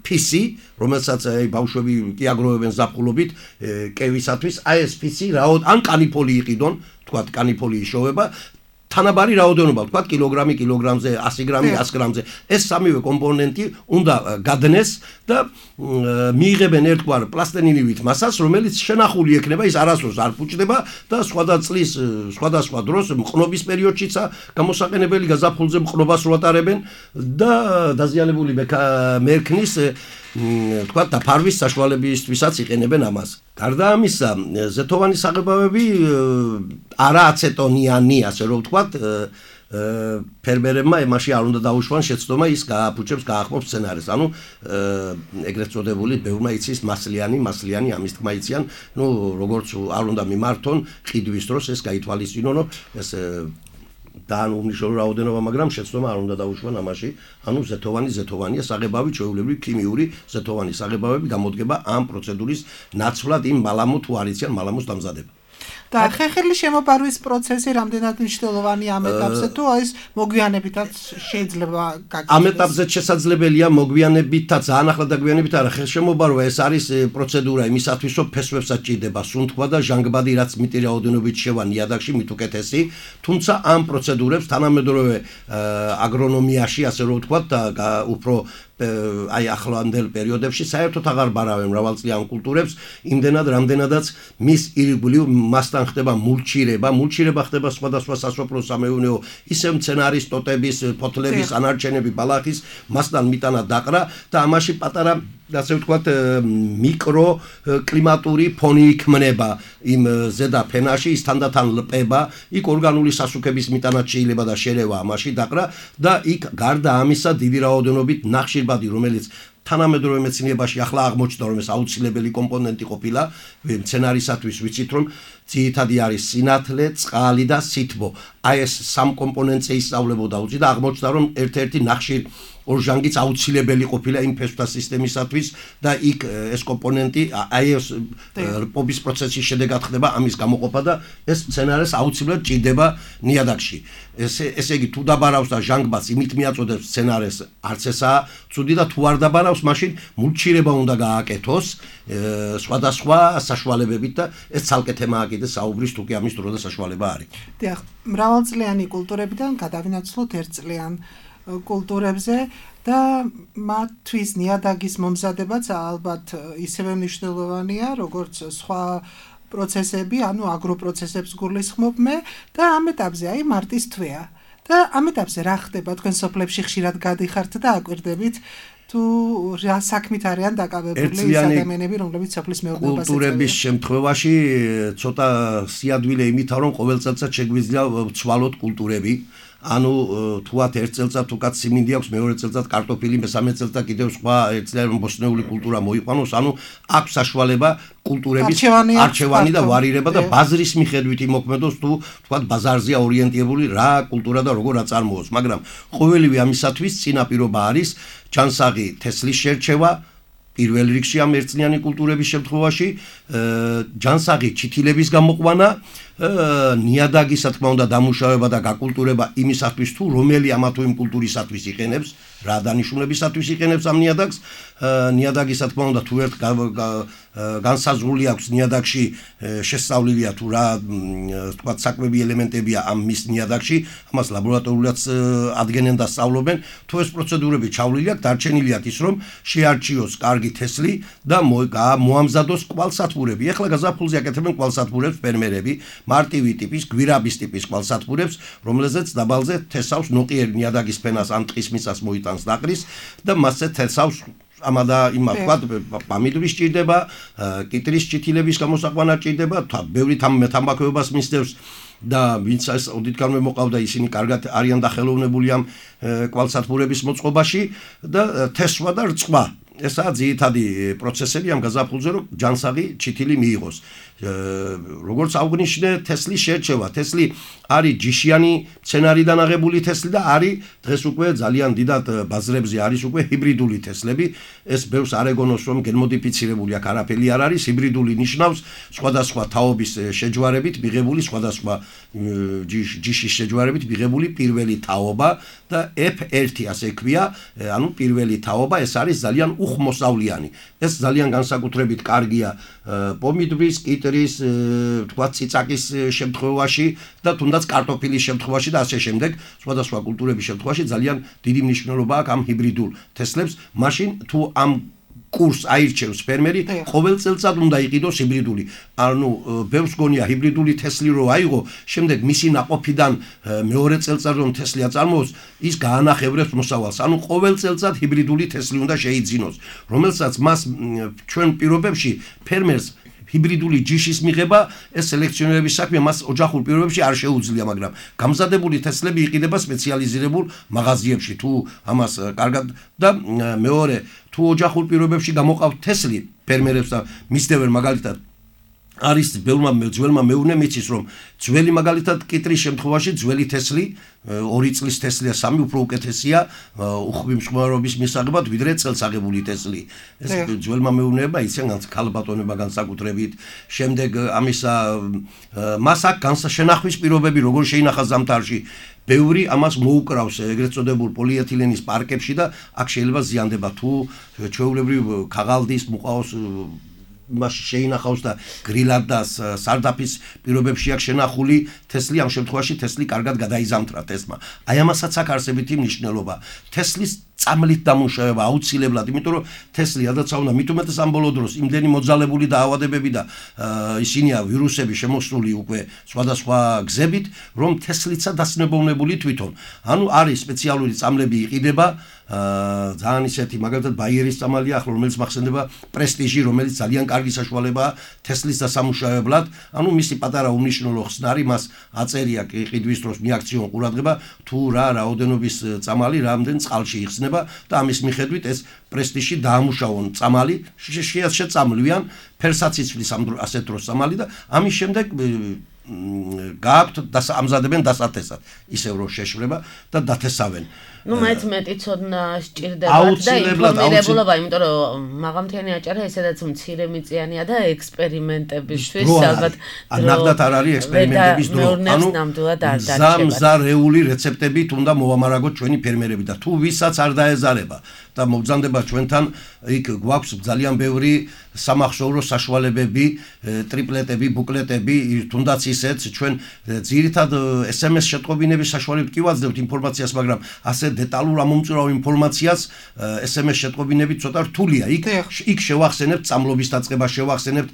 ფისი, რომელსაც აი ბავშვები კი აგროვებენ ზაფხულობით კევისათვის, აი ეს ფისი რაოდ ან კანიფოლი იყიდონ, თქვათ კანიფოლი იშოვება, თანაბარი რაოდენობა, თქვათ კილოგრამი კილოგრამზე, ასი გრამი ას გრამზე. ეს სამივე კომპონენტი უნდა გადნეს და მიიღებენ ერთგვარ პლასტილინივით მასას, რომელიც შენახული ექნება, ის არასდროს არ ფუჭდება და სხვადასხვა წლის, სხვადასხვა დროს მყნობის პერიოდშიც გამოსაყენებელი გაზაფხულზე მყნობას რო ატარებენ და დაზიანებული მერქნის თქვა დაფარვის საშუალებისთვისაც იყენებენ ამას. გარდა ამისა, ზეთოვანი საღებავები არააცეტონიანი, ასე რომ ვთქვათ, ფერმერებმა იმაში არ უნდა დაუშვან შეცდომა, ის გააფუჭებს, გაახმობს სცენარეს. ანუ ეგრეთ წოდებული ბევრმა იცის მასლიანი, მასლიანი ამის თქმა იციან, ნუ როგორც არ უნდა მიმართონ ყიდვის დროს ეს გაითვალისწინონ, ეს და უმნიშვნელო რაოდენობა, მაგრამ შეცდომა არ უნდა დაუშვან ამაში. ანუ ზეთოვანი ზეთოვანია საღებავი, ჩვეულებრივი ქიმიური ზეთოვანი საღებავები გამოდგება ამ პროცედურის ნაცვლად იმ მალამო თუ არ იციან მალამოს დამზადება. და ხეხილის შემოპარვის პროცესი რამდენად მნიშვნელოვანია ამ ეტაპზე თუ ეს მოგვიანებითაც შეიძლება გაკეთდეს? ამ ეტაპზე შესაძლებელია მოგვიანებითაც, ძალიან ახლა დაგვიანებით არა, ხელშემოპარვა ეს არის პროცედურა იმისათვის, რომ ფესვებსაც ჭირდება სუნთქვა და ჟანგბადი, რაც მიტი რაოდენობით შევა ნიადაგში, მით უკეთესი, თუმცა ამ პროცედურებს თანამედროვე აგრონომიაში, ასე რომ ვთქვათ, უფრო აი ახლანდელ პერიოდებში საერთოდ აღარ ბარავენ მრავალწლიან კულტურებს, იმდენად რამდენადაც მის ირგვლივ მასთან ამასთან ხდება მულჩირება, მულჩირება ხდება სხვადასხვა სასოფლო-სამეურნეო ისე მცენარის, ტოტების, ფოთლების, ანარჩენები, ბალახის, მასთან მიტანა დაყრა და ამაში პატარა ასე ვთქვათ მიკრო კლიმატური ფონი იქმნება იმ ზედა ფენაში, ის თანდათან ლპება, იქ ორგანული სასუქების მიტანა შეიძლება და შერევა ამაში დაყრა და იქ გარდა ამისა დიდი რაოდენობით ნახშირბადი, რომელიც თანამედროვე მეცნიერებაში ახლა აღმოჩნდა, რომ ეს აუცილებელი კომპონენტი ყოფილა მცენარისათვის, ვიცით რომ ძირითადი არის სინათლე, წყალი და სითბო. აი ეს სამ კომპონენტზე ისწავლებოდა უცი და აღმოჩნდა, რომ ერთ-ერთი ნახშირ ორჟანგიც აუცილებელი ყოფილა იმ ფესვთა სისტემისათვის და იქ ეს კომპონენტი აი ეს პობის პროცესის შედეგად ხდება ამის გამოყოფა და ეს მცენარეს აუცილებლად ჭირდება ნიადაგში. ესე ესე იგი თუ დაბარავს და ჟანგბადს იმით მიაწოდებს მცენარეს არც ესაა ცუდი და თუ არ დაბარავს მაშინ მულჩირება უნდა გააკეთოს სხვადასხვა საშუალებებით და ეს ცალკე თემაა კიდე საუბრის თუ კი ამის დრო და საშუალება არის. დიახ, მრავალწლიანი კულტურებიდან გადავინაცვლოთ ერთწლიან კულტურებზე და მათთვის ნიადაგის მომზადებაც ალბათ ისევე მნიშვნელოვანია, როგორც სხვა პროცესები, ანუ აგროპროცესებს გულისხმობ მე და ამ ეტაპზე აი მარტის თვეა. და ამ ეტაპზე რა ხდება? თქვენ სოფლებში ხშირად გადიხართ და აკვირდებით თუ რა საქმით არიან დაკავებული ის ადამიანები, რომლებიც სოფლის მეურნეობას ეწევიან. კულტურების შემთხვევაში ცოტა სიადვილე იმითაა, რომ ყოველ წელსაც შეგვიძლია ვცვალოთ კულტურები. ანუ თუათ ერთ წელწად უკაც სიმინდი აქვს, მეორე წელწად კარტოფილი, მესამე წელწად კიდევ სხვა ერთწლიანი ბოსტნეული კულტურა მოიყვანოს, ანუ აქვს საშუალება კულტურების არჩევანი და ვარირება და ბაზრის მიხედვით იმოქმედოს თუ თქვათ ბაზარზეა ორიენტირებული რა კულტურა და როგორ აწარმოოს, მაგრამ ყოველივე ამისათვის წინაპირობა არის ჯანსაღი თესლის შერჩევა პირველ რიგში ამ ერთწლიანი კულტურების შემთხვევაში ჯანსაღი ჩითილების გამოყვანა ნიადაგის რა თქმა უნდა დამუშავება და გაკულტურება იმისათვის თუ რომელი ამა თუ იმ კულტურისათვის იყენებს რა დანიშნულებისათვის იყენებს ამ ნიადაგს ნიადაგის რა თქმა უნდა თუ ერთ განსაზღვრული აქვს ნიადაგში შესწავლილია თუ რა თქვა საკვები ელემენტებია ამ მის ნიადაგში ამას ლაბორატორიულად ადგენენ და სწავლობენ თუ ეს პროცედურები ჩავლილი აქვს დარჩენილი აქვს ის რომ შეარჩიოს კარგი თესლი და მოამზადოს კვალსათბურები ეხლა გაზაფხულზე აკეთებენ კვალსათბურებს ფერმერები მარტივი ტიპის გვირაბის ტიპის კვალსათბურებს რომელზეც დაბალზე თესავს ნოყიერი ნიადაგის ფენას ან ტყის მიწას მოიტანს დაყრის და მასზე თესავს ამადა იმას ვთქვათ პამიდურის ჭირდება კიტრის ჭითილების გამოსაყვანა ჭირდება ბევრი თამბაქოებას მისდევს და ვინც ეს ოდითგანვე მოყავდა ისინი კარგად არიან დახელოვნებული ამ კვალსათბურების მოწყობაში და თესვა და რწყვა ესაა ძირითადი პროცესები ამ გაზაფხულზე რომ ჯანსაღი ჩითილი მიიღოს როგორც აღნიშნე თესლის შერჩევა თესლი არის ჯიშიანი მცენარიდან აღებული თესლი და არის დღეს უკვე ძალიან დიდად ბაზრებზე არის უკვე ჰიბრიდული თესლები ეს ბევრს არ ეგონოს რომ გენმოდიფიცირებული აქ არაფერი არ არის ჰიბრიდული ნიშნავს სხვადასხვა თაობის შეჯვარებით მიღებული სხვადასხვა ჯიშის შეჯვარებით მიღებული პირველი თაობა და ეფ ერთი ასე ქვია ანუ პირველი თაობა ეს არის ძალიან უხმოსავლიანი ეს ძალიან განსაკუთრებით კარგია პომიდრის კიტრის თქვა ციცაკის შემთხვევაში და თუნდაც კარტოფილის შემთხვევაში და ასე შემდეგ სხვადასხვა კულტურების შემთხვევაში ძალიან დიდი მნიშვნელობა აქვს ამ ჰიბრიდულ თესლებს მაშინ თუ ამ კურს აირჩევს ფერმერი ყოველ წელწად უნდა იყიდოს ჰიბრიდული ანუ ბევრს გონია ჰიბრიდული თესლი რო აიღო შემდეგ მისი ნაყოფიდან მეორე წელწად რომ თესლი აწარმოოს ის გაანახევრებს მოსავალს ანუ ყოველ წელწად ჰიბრიდული თესლი უნდა შეიძინოს რომელსაც მას ჩვენ პირობებში ფერმერს ჰიბრიდული ჯიშის მიღება ეს სელექციონერების საქმე მას ოჯახურ პირობებში არ შეუძლია მაგრამ გამზადებული თესლები იყიდება სპეციალიზირებულ მაღაზიებში თუ ამას კარგად და მეორე თუ ოჯახურ პირობებში გამოყავთ თესლი ფერმერებს და მისდევენ მაგალითად არის ბევრმა ძველმა მეურნემ იცის რომ ძველი მაგალითად კიტრის შემთხვევაში ძველი თესლი ორი წლის თესლია სამი უფრო უკეთესია უხვი მსხვერპლობის მისაღებად ვიდრე წელს აღებული თესლი ეს ძველმა მეურნეებმა იციან ქალბატონებმა განსაკუთრებით შემდეგ ამისა მას აქ განსაშენახვის პირობები როგორ შეინახა ზამთარში ბევრი ამას მოუკრავს ეგრეთ წოდებულ პოლიეთილენის პარკებში და აქ შეიძლება ზიანდება თუ ჩვეულებრივ ქაღალდის მუყაოს მას შეინახავს და გრილად და სარდაფის პირობებში აქვს შენახული თესლი ამ შემთხვევაში თესლი კარგად გადაიზამთრა თესმა. აი ამასაც აქვს არსებითი მნიშვნელობა. თესლის წამლით დამუშავება აუცილებლად, იმიტომ რომ თესლი ადაცა უნდა მით უმეტეს ამ ბოლო დროს იმდენი მოძალებული დაავადებები და ისინია ვირუსები შემოსული უკვე სხვადასხვა გზებით, რომ თესლიცა დასნებოვნებული თვითონ. ანუ არის სპეციალური წამლები იყიდება ძალიან ისეთი მაგალითად ბაიერის წამალია ახლა რომელიც მახსენდება პრესტიჟი რომელიც ძალიან კარგი საშუალებაა თესლის დასამუშავებლად ანუ მისი პატარა უმნიშვნელო ხსნარი მას აწერია ყიდვის დროს მიაქციონ ყურადღება თუ რა რაოდენობის წამალი რამდენ წყალში იხსნება და ამის მიხედვით ეს პრესტიჟი დაამუშავონ წამალი შეწამლვიან ფერსაც იცვლის ამ ასეთ დროს წამალი და ამის შემდეგ გააქვთ ამზადებენ დასათესად ისევ რომ შეშვრება და დათესავენ ну მეც მეტი ცოდნა სჭირდებათ და ინფორმირებულობა იმიტომ რომ მაღალმთიანი აჭარა ესედაც მცირე მიწიანია და ექსპერიმენტებისთვის ალბათ ნახდათ არ არის ექსპერიმენტების დრო ანუ ზამზარეული რეცეპტებით უნდა მოვამარაგოთ ჩვენი ფერმერები და თუ ვისაც არ დაეზარება და მოგზანდება ჩვენთან იქ გვაქვს ძალიან ბევრი სამახსოვრო საშუალებები ტრიპლეტები ბუკლეტები თუნდაც ისეც ჩვენ ძირითად ეს ემ ეს შეტყობინების საშუალებით კი ვაძლევთ ინფორმაციას მაგრამ ასე დეტალურ ამომწურავ ინფორმაციას ეს ემ ეს შეტყობინები ცოტა რთულია იქ იქ შევახსენებთ წამლობის დაწყება შევახსენებთ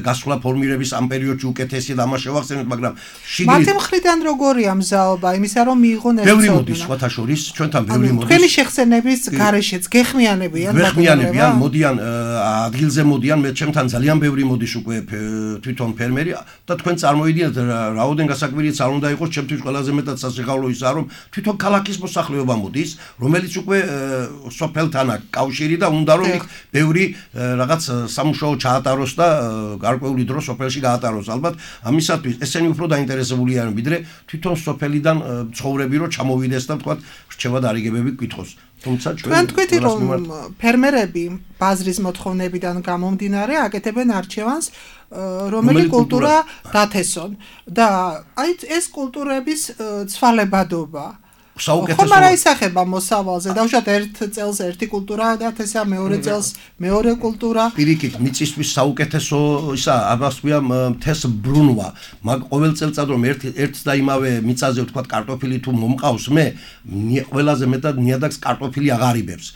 გასვლა ფორმირების ამ პერიოდში უკეთესი და ამას შევახსენებთ მაგრამ შიგნით მათი მხრიდან როგორია მზაობა იმისა რომ მიიღონ ეს ბევრი მოდის სხვათა შორის ჩვენთან ბევრი მოდის თქვენი შეხსენების გარეშეც გეხმიანებიან გეხმიანებიან მოდიან ადგილზე მოდიან მე ჩემთან ძალიან ბევრი მოდის უკვე თვითონ ფერმერი და თქვენ წარმოიდგინეთ რაოდენ გასაკვირიც არ უნდა იყოს ჩემთვის ყველაზე მეტად სასიხაულო ისაა რომ თვითონ ქალაქის მოსახლეობა მოდის რომელიც უკვე სოფელთან აქვს კავშირი და უნდა რომ ბევრი რაღაც სამუშაო ჩაატაროს და გარკვეული დრო სოფელში გაატაროს ალბათ ამისათვის ესენი უფრო დაინტერესებული არიან ვიდრე თვითონ სოფელიდან ცხოვრები რომ ჩამოვიდეს და თქვა რჩევა და არიგებები გკითხოს თუმცა ჩვენ თქვით რომ ფერმერები ბაზრის მოთხოვნებიდან გამომდინარე აკეთებენ არჩევანს რომელი კულტურა დათესონ და აი ეს კულტურების ცვალებადობა საუკეთესო ხომ არ აისახება მოსავალზე დავუშვათ ერთ წელს ერთი კულტურა დათესა მეორე წელს მეორე კულტურა პირიქით მიწისთვის საუკეთესო ისა ამას ქვია მთეს ბრუნვა მაგ ყოველ წელწად რომ ერთ ერთს და იმავე მიწაზე ვთქვა კარტოფილი თუ მომყავს მე ყველაზე მეტად ნიადაგს კარტოფილი აღარიბებს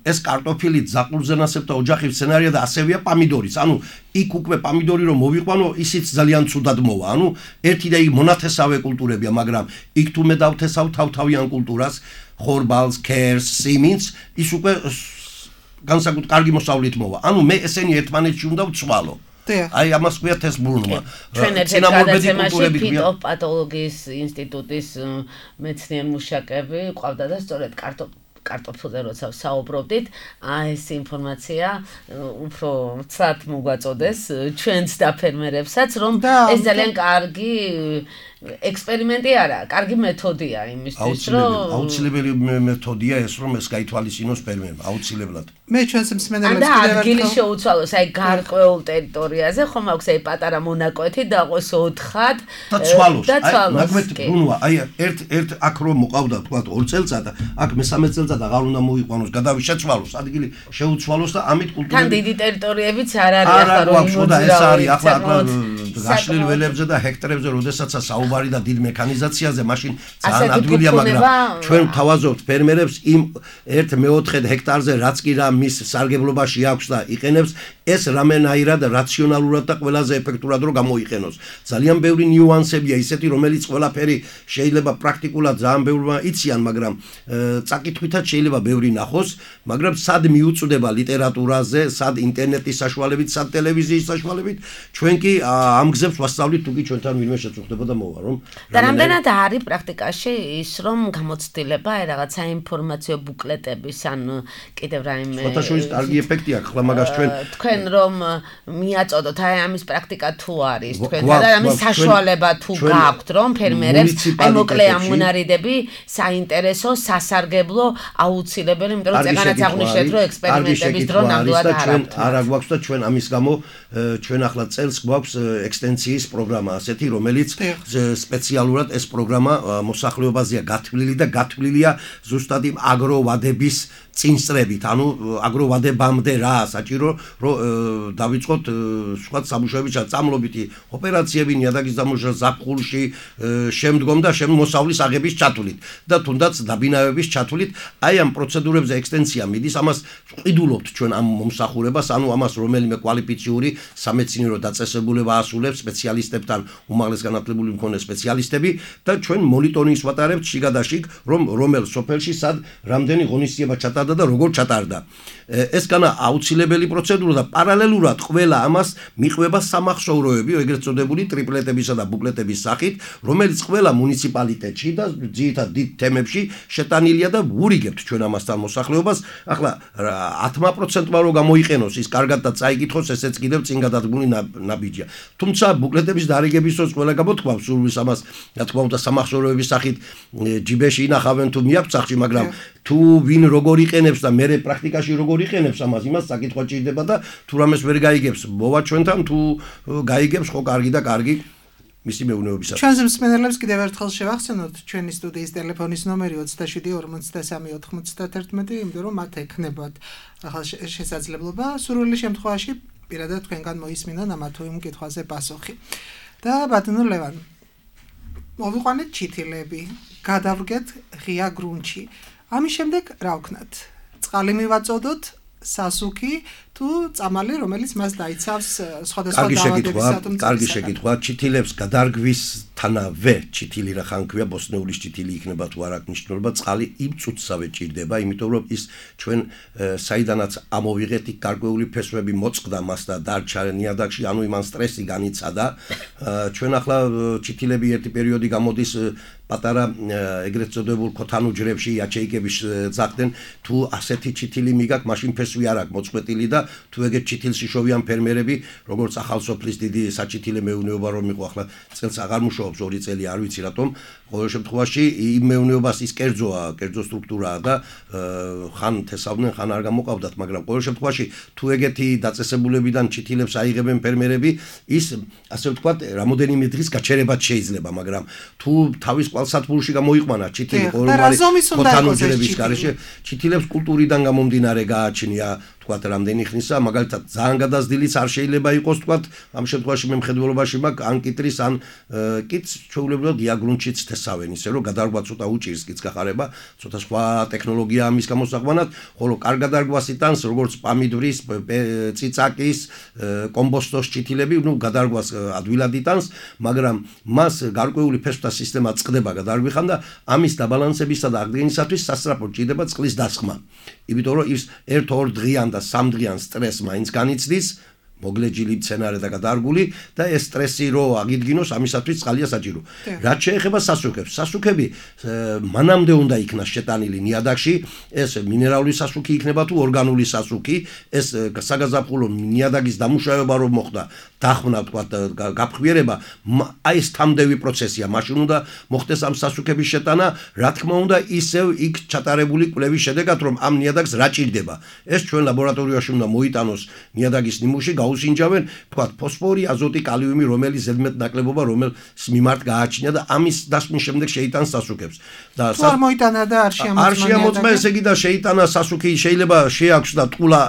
ეს კარტოფილი ზაყურზენასებ და ოჯახის სცენარია და ასევეა პამიდორიც ანუ იქ უკვე პამიდორი რომ მოვიყვანო ისიც ძალიან ცუდად მოვა ანუ ერთი და იქ მონათესავე კულტურებია მაგრამ იქ თუ მე დავთესავ თავთავიან კულტურას ხორბალს ქერს სიმინს ის უკვე განსაკუთრებით კარგი მოსავლით მოვა ანუ მე ესენი ერთმანეთში უნდა ვცვალო აი ამას ქვია თეს ბრუნვა ჩვენ ერთ-ერთი კულტურები ფიტოპათოლოგიის ინსტიტუტის მეცნიერ მუშაკები ყავდა და სწორედ კარტოფ კარტოფილზე როცა საუბრობდით, აი ეს ინფორმაცია უფრო ცად მოგვაწოდეს ჩვენს და ფერმერებსაც, რომ ეს ძალიან კარგი ექსპერიმენტი არა, კარგი მეთოდია იმისთვის, რომ აუცილებელი მეთოდია ეს, რომ ეს გაითვალისწინოს ფერმერმა, აუცილებლად. მე ჩვენს მსმენელებს კიდევ ერთხელ ადგილი შეუცვალოს, აი გარკვეულ ტერიტორიაზე, ხომ აქვს აი პატარა მონაკვეთი დაყოს ოთხად და ცვალოს. აი მაგმეთ ბრუნვა, აი ერთ ერთ აქ რომ მოყავდა თქვა ორ წელწად, აქ მესამე წელწად აღარ უნდა მოიყვანოს, გადავიშეცვალოს, ადგილი შეუცვალოს და ამით კულტურები თან დიდი ტერიტორიებიც არ არის ახლა რომ იმოძრავი. ეს არის ახლა გაშლილ ველებზე და ჰექტარებზე, როდესაცაც საუბარი და დიდ მექანიზაციაზე, მაშინ ძალიან ადვილია, მაგრამ ჩვენ ვთავაზობთ ფერმერებს იმ ერთ მეოთხედ ჰექტარზე რაც კი რა მის სარგებლობაში აქვს და იყენებს, ეს რამენაირად რაციონალურად და ყველაზე ეფექტურად რომ გამოიყენოს. ძალიან ბევრი ნიუანსებია ისეთი, რომელიც ყველაფერი შეიძლება პრაქტიკულად ძალიან ბევრმა იციან, მაგრამ წაკითხვითაც შეიძლება ბევრი ნახოს, მაგრამ სად მიუწვდება ლიტერატურაზე, სად ინტერნეტის საშუალებით, სად ტელევიზიის საშუალებით, ჩვენ კი ამ გზებს ვასწავლით, თუ კი ჩვენთან ვინმე შეწუხდება და მოვა, რომ და რამდენად არის პრაქტიკაში ის, რომ გამოცდილება აი რაღაც საინფორმაციო ბუკლეტების ან კიდევ რაიმე ფოტოშოვის კარგი ეფექტი აქვს, ხლა მაგას ჩვენ თქვენ რომ მიაწოდოთ აი ამის პრაქტიკა თუ არის თქვენთან და ამის საშუალება თუ გაქვთ, რომ ფერმერებს აი მოკლე ამონარიდები საინტერესო, სასარგებლო აუცილებელი, იმიტომ რომ წეგანაც აღნიშნეთ, რომ ექსპერიმენტების დრო ნამდვილად არ აქვს. არა გვაქვს და ჩვენ ამის გამო ჩვენ ახლა წელს გვაქვს ექსტენსიის პროგრამა ასეთი, რომელიც სპეციალურად ეს პროგრამა მოსახლეობაზეა გათვლილი და გათვლილია ზუსტად იმ აგროვადების წინსწრებით, ანუ აგროვადებამდე რა საჭირო, რომ დავიწყოთ სხვა სამუშაოები, წამლობითი ოპერაციები, ნიადაგის დამუშავება ზაფხულში, შემდგომ და შემოსავლის აღების ჩათვლით და თუნდაც დაბინავების ჩათვლით, აი ამ პროცედურებზე ექსტენსია მიდის, ამას ყიდულობთ ჩვენ ამ მომსახურებას, ანუ ამას რომელიმე კვალიფიციური სამეცნიერო დაწესებულება ასრულებს სპეციალისტებთან, უმაღლეს განათლებული მქონე სპეციალისტები და ჩვენ მონიტორინგს ვატარებთ შიგადაშიგ, რომ რომელ სოფელში სად რამდენი ღონისძიება ჩატარდა და როგორ ჩატარდა. ეს განა აუცილებელი პროცედურა და პარალელურად ყველა ამას მიყვება სამახსოვროები, ეგრეთ წოდებული ტრიპლეტებისა და ბუკლეტების სახით, რომელიც ყველა მუნიციპალიტეტში და ძირითადად დიდ თემებში შეტანილია და ვურიგებთ ჩვენ ამასთან მოსახლეობას. ახლა ათმა პროცენტმა რო გამოიყენოს ის კარგად და წაიკითხოს, ესეც კიდევ წინ გადადგმული ნაბიჯია. თუმცა ბუკლეტების დარიგების დროს ყველა გამოთქვამს სურვილს ამას, რა თქმა უნდა, სამახსოვროების სახით ჯიბეში ინახავენ თუ მიაქვს სახში, მაგრამ თუ ვინ როგორ იყენებს და მე პრაქტიკაში როგორ იყენებს ამას, იმას საკითხვა ჭირდება და თუ რამეს ვერ გაიგებს, მოვა ჩვენთან, თუ გაიგებს, ხო კარგი და კარგი მისი მეურნეობისას. ჩვენს მსმენელებს კიდევ ერთხელ შევახსენოთ ჩვენი სტუდიის ტელეფონის ნომერი ოცდაშვიდი ორმოცდასამი ოთხმოცდათერთმეტი, იმიტომ რომ მათ ექნებათ ახლა შესაძლებლობა სურვილი შემთხვევაში პირადად თქვენგან მოისმინონ ამა თუ იმ კითხვაზე პასუხი. და ბატონო ლევან, მოვიყვანეთ ჩითილები, გადავდგეთ ღია გრუნტში. ამის შემდეგ რა ვქნათ? წყალი მივაწოდოთ, სასუქი თუ წამალი, რომელიც მას დაიცავს სხვადასხვა დაავადებისათვის. კარგი შეკითხვა. ჩითილებს გადარგვისთანავე ჩითილი რა ხან ქვია, ბოსნეულის ჩითილი იქნება თუ არ აქვს მნიშვნელობა, წყალი იმ წუთსავე ჭირდება, იმიტომ რომ ის ჩვენ საიდანაც ამოვიღეთ, იქ გარკვეული ფესვები მოწყდა მას და დარჩა ნიადაგში, ანუ იმან სტრესი განიცადა. ჩვენ ახლა ჩითილები ერთი პერიოდი გამოდის პატარა ეგრეთ წოდებულ ქოთანუ ჯრებში იაჩეიკების ძახდნენ, თუ ასეთი ჩითილი მიგაკ, მაშინ ფესვი არ აქვს მოწყვეტილი და თუ ეგეთ ჩითილს იშოვიან ფერმერები, როგორც ახალსოფლის დიდი საჩითილე მეურნეობა რომ იყო, ახლა წელს აღარ მუშაობს, ორი წელი არ ვიცი რატომ. ყოველ შემთხვევაში იმ მეურნეობას ის კერძოა, კერძო სტრუქტურაა და ხან თესავდნენ, ხან არ გამოყავდათ, მაგრამ ყოველ შემთხვევაში თუ ეგეთი დაწესებულებიდან ჩითილებს აიღებენ ფერმერები, ის ასე ვთქვათ, რამოდენიმე დღის გაჩერებაც შეიძლება, მაგრამ თუ თავის კვალსათბურში გამოიყვანა ჩითილი ყოველგვარი ქოთანუ ჯრების გარეშე, ჩითილებს კულტურიდან გამომდინარე გააჩნია თქვათ რამდენი ხნისა, მაგალითად ძალიან გადაზრდილიც არ შეიძლება იყოს თქვათ, ამ შემთხვევაში მე მხედველობაში მაქვს ან კიტრის ან კიტს ჩვეულებრივად დიაგრუნჩიც თესავენ, ისე რომ გადარგვა ცოტა უჭირს კიტს გახარება, ცოტა სხვა ტექნოლოგია ამის გამოსაყვანად, ხოლო კარგ გადარგვას იტანს როგორც პამიდვრის, წიწაკის, კომბოსტოს ჩითილები, ნუ გადარგვას ადვილად იტანს, მაგრამ მას გარკვეული ფესვთა სისტემა წყდება გადარგვიხან და ამის დაბალანსებისა და აღდგენისათვის სასწრაფოდ ჭირდება წყლის დასხმა. იმიტომ რომ ის ერთ-ორ დღიან და სამ დღიან სტრესს მაინც განიცდის, მოგლეჯილი მცენარე და გადარგული და ეს სტრესი რო აგიდგინოს, ამისათვის წყალია საჭირო. რაც შეეხება სასუქებს, სასუქები მანამდე უნდა იქნას შეტანილი ნიადაგში, ეს მინერალური სასუქი იქნება თუ ორგანული სასუქი, ეს საგაზაფხულო ნიადაგის დამუშავება რომ მოხდა, დახმნა თქვათ გაფხვიერება, აი ეს თამდევი პროცესია, მაშინ უნდა მოხდეს ამ სასუქების შეტანა, რა თქმა უნდა ისევ იქ ჩატარებული კვლევის შედეგად, რომ ამ ნიადაგს რა ჭირდება. ეს ჩვენ ლაბორატორიაში უნდა მოიტანოს ნიადაგის ნიმუში, გაუსინჯავენ, თქვათ, ფოსფორი, აზოტი, კალიუმი, რომელიც ზედმეტ ნაკლებობა, რომელს მიმართ გააჩნია და ამის დასმის შემდეგ შეიტანს სასუქებს. და არ მოიტანა და არ შეამოწმა. არ შეამოწმა, ესე იგი და შეიტანა სასუქი, შეიძლება შეაქვს და ტყულა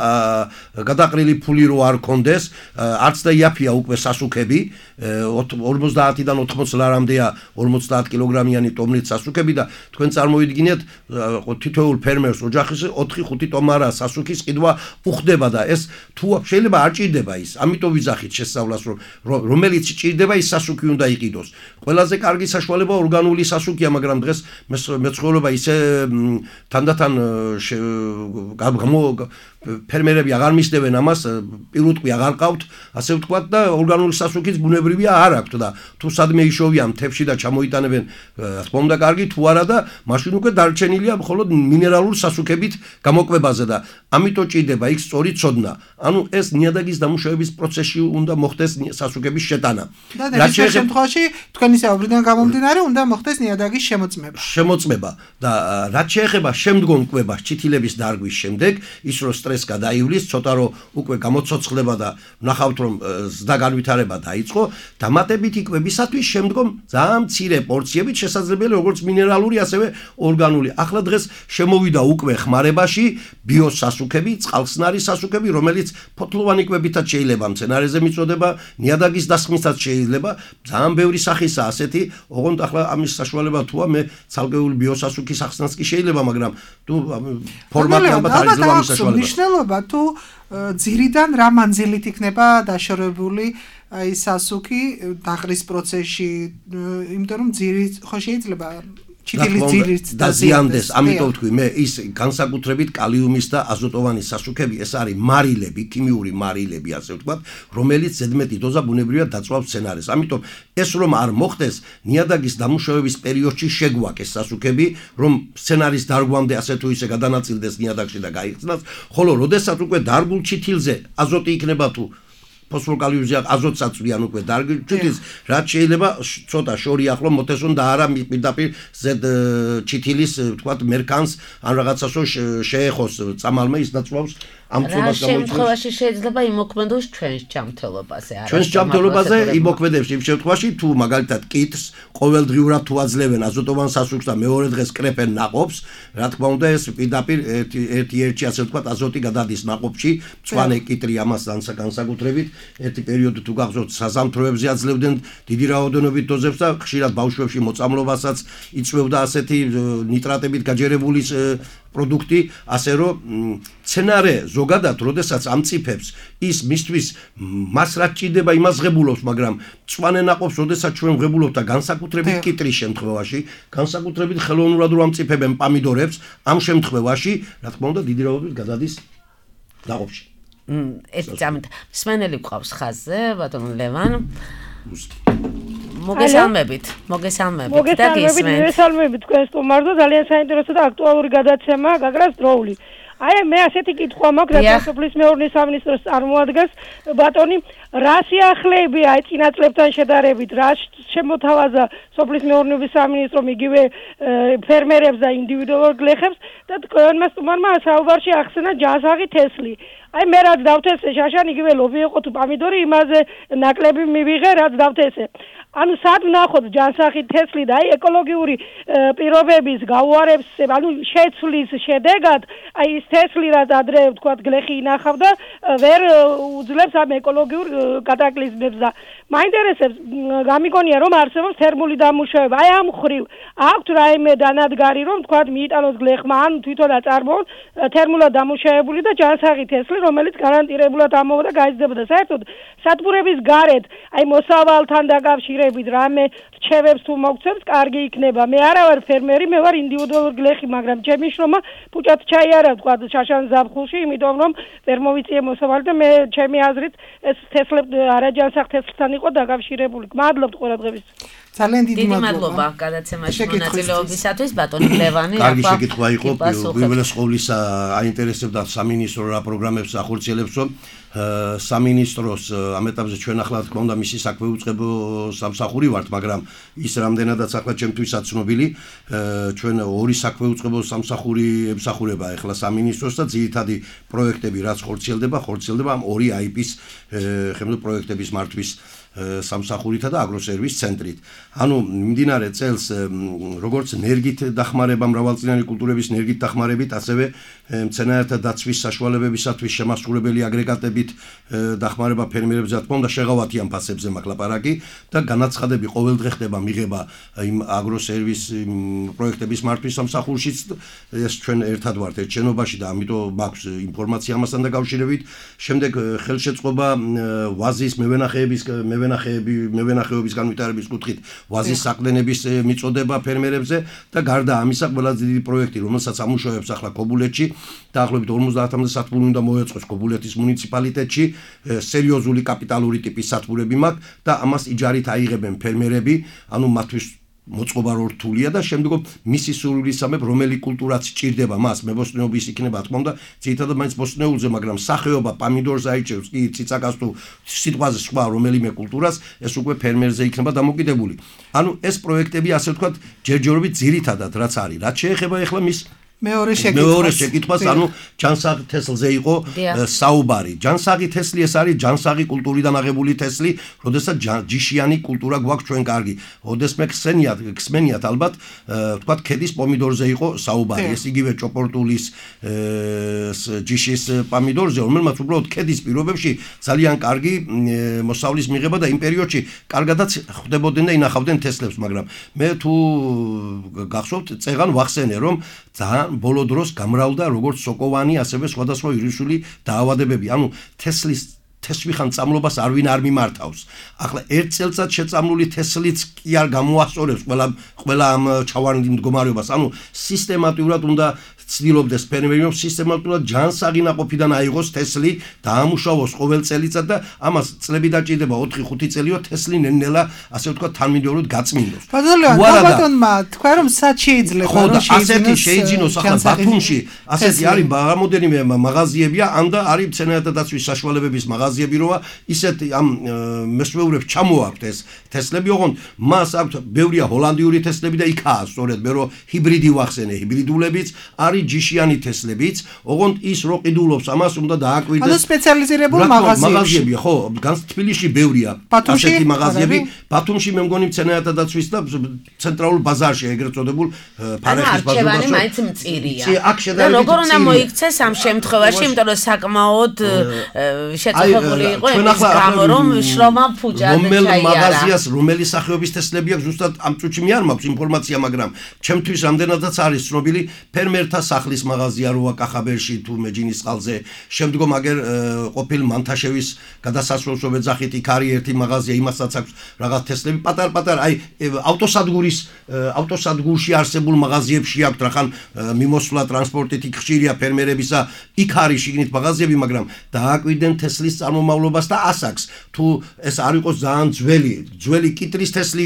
გადაყრილი ფული რო არ კონდეს, არც და იაფია უკვე სასუქები, ორმოცდაათიდან ოთხმოც ლარამდეა ორმოცდაათ კილოგრამიანი ტომნით სასუქები და თქვენ წარმოიდგინეთ, თითოეულ ფერმერს ოჯახის ოთხი ხუთი ტომარა სასუქის ყიდვა უხდება და ეს თუ შეიძლება არ ჭირდება ის, ამიტომ ვიძახით შესწავლას, რომ რომელიც ჭირდება ის სასუქი უნდა იყიდოს. ყველაზე კარგი საშუალება ორგანული სასუქია, მაგრამ დღეს მეცხოველობა ისე თანდათან ფერმერები აღარ მისდევენ ამას, პირუტყვი აღარ ყავთ, ასე ვთქვათ და ორგანული სასუქიც ბუნებრივია არ აქვთ და თუ სადმე იშოვიან მთებში და ჩამოიტანებენ, რა თქმა უნდა კარგი, თუ არა და მაშინ უკვე დარჩენილია მხოლოდ მინერალურ სასუქებით გამოკვებაზე და ამიტომ ჭირდება იქ სწორი ცოდნა. ანუ ეს ნიადაგის დამუშავების პროცესში უნდა მოხდეს სასუქების შეტანა. და ამ შემთხვევაში თქვენი საუბრიდან გამომდინარე უნდა მოხდეს ნიადაგის შემოწმება. შემოწმება და რაც შეეხება შემდგომ კვებას ჩითილების დარგვის შემდეგ, ის რომ სტრესს გადაივლის, ცოტა რომ უკვე გამოცოცხლება და ნახავთ რომ ზდა განვითარება დაიწყო, დამატებითი კვებისათვის შემდგომ ძალიან მცირე პორციებით შესაძლებელი როგორც მინერალური, ასევე ორგანული. ახლა დღეს შემოვიდა უკვე ხმარებაში ბიოსასუქები, წყალხსნარი სასუქები, რომელიც ფოთლოვანი კვებითაც შეიძლება მცენარეზე მიწოდება, ნიადაგის დასხმისაც შეიძლება, ძალიან ბევრი სახისაა ასეთი, ოღონდ ახლა ამის საშუალება თუა მე ცალკეული ბიოსასუქის ახსნაც კი შეიძლება, მაგრამ თუ ფორმატი ალბათ არის რომ ამის საშუალება. მნიშვნელობა თუ ძირიდან რა მანძილით იქნება დაშორებული აი სასუქი დაყრის პროცესში, იმიტომ რომ ძირი ხო შეიძლება ჩიტილის ძირით დაზიანდეს, ამიტომ თქვი მე ის განსაკუთრებით კალიუმის და აზოტოვანი სასუქები ეს არის მარილები, ქიმიური მარილები ასე ვთქვათ, რომელიც ზედმეტი დოზა ბუნებრივად დაწვავს სცენარეს. ამიტომ ეს რომ არ მოხდეს, ნიადაგის დამუშავების პერიოდში შეგვაკეს სასუქები, რომ სცენარის დარგვამდე ასე თუ ისე გადანაწილდეს ნიადაგში და გაიხსნას, ხოლო როდესაც უკვე დარგულ ჩითილზე აზოტი იქნება თუ ფოსფორკალიუმზე აზოტს აწვდიან უკვე დარგულ ჩითილს, რაც შეიძლება ცოტა შორი ახლო მოთესონ და არა პირდაპირ ზედ ჩითილის ვთქვათ მერქანს ან რაღაცას შეეხოს წამალმა ის დაწვავს ამ წობას გამოიწვევს. რა შემთხვევაში შეიძლება იმოქმედოს ჩვენს ჯანმრთელობაზე, არა? ჩვენს ჯანმრთელობაზე იმოქმედებს იმ შემთხვევაში, თუ მაგალითად კითს ყოველდღიურად თუ აძლევენ აზოტოვან სასუქს და მეორე დღეს კრეფენ ნაყოფს, რა თქმა უნდა ეს პირდაპირ ერთი ერთში ასე ვთქვათ აზოტი გადადის ნაყოფში, მწვანე კიტრი ამასთან განსაკუთრებით ერთი პერიოდი თუ გახსოვთ საზამთროებზე აძლევდნენ დიდი რაოდენობით დოზებს და ხშირად ბავშვებში მოწამლობასაც იწვევდა ასეთი ნიტრატებით გაჯერებული პროდუქტი, ასე რომ სცენარე ზოგადად როდესაც ამწიფებს ის მისთვის მას რაც ჭირდება იმას ღებულობს, მაგრამ მწვანე ნაყოფს როდესაც ჩვენ ღებულობთ და განსაკუთრებით კიტრის შემთხვევაში, განსაკუთრებით ხელოვნურად რო ამწიფებენ პამიდორებს, ამ შემთხვევაში, რა თქმა უნდა, დიდი რაოდენობით გადადის ნაყოფში. ერთი წამით მსმენელი გვყავს ხაზზე, ბატონო ლევან. მოგესალმებით, მოგესალმებით და გისმენთ. მოგესალმებით თქვენ სტუმარდო, ძალიან საინტერესო და აქტუალური გადაცემა, გაგრას დროული. აი მე ასეთი კითხვა მაქვს, რაც სოფლის მეურნეობის სამინისტროს წარმოადგენს, ბატონი, რა სიახლეები აი წინა წლებთან შედარებით, რა შემოთავაზა სოფლის მეურნეობის სამინისტრომ იგივე ფერმერებს და ინდივიდუალურ გლეხებს და თქვენმა სტუმარმა საუბარში ახსენა ჯანსაღი თესლი. აი მე რაც დავთესე შაშან იგივე ლობი იყო თუ პამიდორი, იმაზე ნაკლები მივიღე, რაც დავთესე. ანუ სად ვნახოთ ჯანსაღი თესლი და აი ეკოლოგიური პირობების გაუარებს, ანუ შეცვლის შედეგად აი ის თესლი რაც ადრე ვთქვათ გლეხი ინახავდა, ვერ უძლებს ამ ეკოლოგიურ კატაკლიზმებს და მაინტერესებს, გამიგონია რომ არსებობს თერმული დამუშავება. აი ამ ხრივ აქვთ რაიმე დანადგარი რომ ვთქვათ მიიტანოს გლეხმა ან თვითონ აწარმოონ თერმულად დამუშავებული და ჯანსაღი თესლი, რომელიც გარანტირებულად ამოვა და გაიზრდებოდა. საერთოდ სადგურების გარეთ აი მოსავალთან დაკავშირებით რამე რჩევებს თუ მოგცემს, კარგი იქნება. მე არა ვარ ფერმერი, მე ვარ ინდივიდუალური გლეხი, მაგრამ ჩემი შრომა პუჭად ჩაიარა ვთქვათ შაშან ზაფხულში, იმიტომ რომ ვერ მოვიწიე მოსავალი და მე ჩემი აზრით ეს თესლები არაჯანსაღ თესლთან იყო დაკავშირებული. გმადლობთ ყურადღებისთვის. ძალიან დიდი მადლობა გადაცემაში მონაწილეობისათვის, ბატონი ლევანი. კარგი შეკითხვა იყო, პირველეს ყოვლისა აინტერესებდა სამინისტრო რა პროგრამებს ახორციელებს, რომ სამინისტროს ამ ეტაპზე ჩვენ ახლა თქმა უნდა მისი საქმე უწყებო სამსახური ვართ, მაგრამ ის რამდენადაც ახლა ჩემთვისაც ცნობილი, ჩვენ ორი საქმე უწყებო სამსახური ემსახურება ახლა სამინისტროს და ძირითადი პროექტები რაც ხორციელდება, ხორციელდება ამ ორი აი პის ხელმძღვანელო პროექტების მართვის სამსახურითა და აგროსერვის ცენტრით. ანუ მიმდინარე წელს როგორც ნერგით დახმარება მრავალწლიანი კულტურების ნერგით დახმარებით, ასევე მცენარეთა დაცვის საშუალებებისათვის შემასრულებელი აგრეგატებით დახმარება ფერმერებს, რა თქმა უნდა, შეღავათიან ფასებზე მაქვს ლაპარაკი და განაცხადები ყოველდღე ხდება მიღება იმ აგროსერვის პროექტების მართვის სამსახურშიც. ეს ჩვენ ერთად ვართ ერთ შენობაში და ამიტომ მაქვს ინფორმაცია ამასთან დაკავშირებით. შემდეგ ხელშეწყობა ვაზის მევენახეების მევენახეები მევენახეობის განვითარების კუთხით ვაზის საყრდენების მიწოდება ფერმერებზე და გარდა ამისა ყველაზე დიდი პროექტი, რომელსაც ამუშავებს ახლა ქობულეთში, დაახლოებით ორმოცდაათამდე სათბური უნდა მოეწყოს ქობულეთის მუნიციპალიტეტში, სერიოზული კაპიტალური ტიპის სათბურები მაქვს და ამას იჯარით აიღებენ ფერმერები, ანუ მათთვის მოწყობა რთულია და შემდგომ მისი სურვილისამებრ რომელი კულტურაც ჭირდება მას, მებოსტნეობის იქნება, თქმა უნდა, ძირითადად მაინც ბოსტნეულზე, მაგრამ სახეობა პამიდორს აიჭევს, კი ციცაკას თუ სიტყვაზე სხვა რომელიმე კულტურას, ეს უკვე ფერმერზე იქნება დამოკიდებული. ანუ ეს პროექტები ასე ვთქვათ, ჯერჯერობით ძირითადად რაც არის, რაც შეეხება ახლა მის მეორე შეკითხვას მეორე შეკითხვას ანუ ჯანსაღი თესლზე იყო საუბარი. ჯანსაღი თესლი ეს არის ჯანსაღი კულტურიდან აღებული თესლი, როდესაც ჯიშიანი კულტურა გვაქვს ჩვენ კარგი. ოდესმე ხსენიათ, ხსმენიათ ალბათ, თქვათ ქედის პომიდორზე იყო საუბარი. ეს იგივე ჭოპორტულის ჯიშის პომიდორზე, რომელმაც უბრალოდ ქედის პირობებში ძალიან კარგი მოსავლის მიღება და იმ პერიოდში კარგადაც ხვდებოდნენ და ინახავდნენ თესლებს, მაგრამ მე თუ გახსოვთ, წეღან ვახსენე, რომ ძალიან ბოლო დროს გამრავლდა როგორც სოკოვანი, ასევე სხვადასხვა ვირუსული დაავადებები. ანუ თესლის თესვიხან წამლობას არ ვინ არ მიმართავს. ახლა ერთ წელწად შეწამლული თესლიც კი არ გამოასწორებს ყველა ყველა ამ ჩავარდნილ მდგომარეობას. ანუ სისტემატურად უნდა ცდილობდეს ფერმერი რომ სისტემატურად ჯანსაღი ნაყოფიდან აიღოს თესლი, დაამუშავოს ყოველ წელიწად და ამას წლები დაჭირდება ოთხი ხუთი წელიო თესლი ნელ-ნელა ასე ვთქვათ თანმიმდევრულად გაწმინდოს. ბატონმა თქვა რომ სად შეიძლება რომ ასეთი შეიძინოს ახლა ბათუმში, ასეთი არის რამოდენიმე მაღაზიებია, ამ და არის მცენარეთა დაცვის საშუალებების მაღაზიები, როა ისეთი ამ მესვეურებს ჩამოაქვთ ეს თესლები, ოღონდ მას აქვს ბევრია ჰოლანდიური თესლები და იქაა სწორედ მე რომ ჰიბრიდი ვახსენე, ჰიბრიდულებიც არის ჯიშიანი თესლებიც, ოღონდ ის რო ყიდულობს ამას უნდა დააკვირდეს. ანუ სპეციალიზირებულ მაღაზიებში. ხო, განს თბილისში ბევრია ასეთი მაღაზიები. ბათუმში მე მგონი მცენარეთა დაცვის და ცენტრალურ ბაზარში ეგრეთ წოდებულ ფარეხის ბაზარში. ანუ არჩევანი მაინც მწირია. და როგორ უნდა მოიქცეს ამ შემთხვევაში, იმიტომ რომ საკმაოდ შეწუხებული იყო იმის გამო, რომ შრომა ფუჭად ჩაიარა. რომელ მაღაზიას, რომელი სახეობის თესლები აქვს, ზუსტად ამ წუთში მე არ მაქვს ინფორმაცია, მაგრამ ჩემთვის რამდენადაც არის ცნობილი ფერმერთა სახლის მაღაზია როა კახაბერში თუ მეჯინის წყალზე. შემდგომ აგერ ყოფილ მანთაშევის გადასასვლელს ვეძახით, იქ არის ერთი მაღაზია, იმასაც აქვს რაღაც თესლები, პატარ-პატარა, აი ავტოსადგურის ავტოსადგურში არსებულ მაღაზიებში აქვს რახან მიმოსვლა ტრანსპორტით იქ ხშირია ფერმერებისა, იქ არის შიგნით მაღაზიები, მაგრამ დააკვირდნენ თესლის წარმომავლობას და ასაკს. თუ ეს არ იყოს ძალიან ძველი, ძველი კიტრის თესლი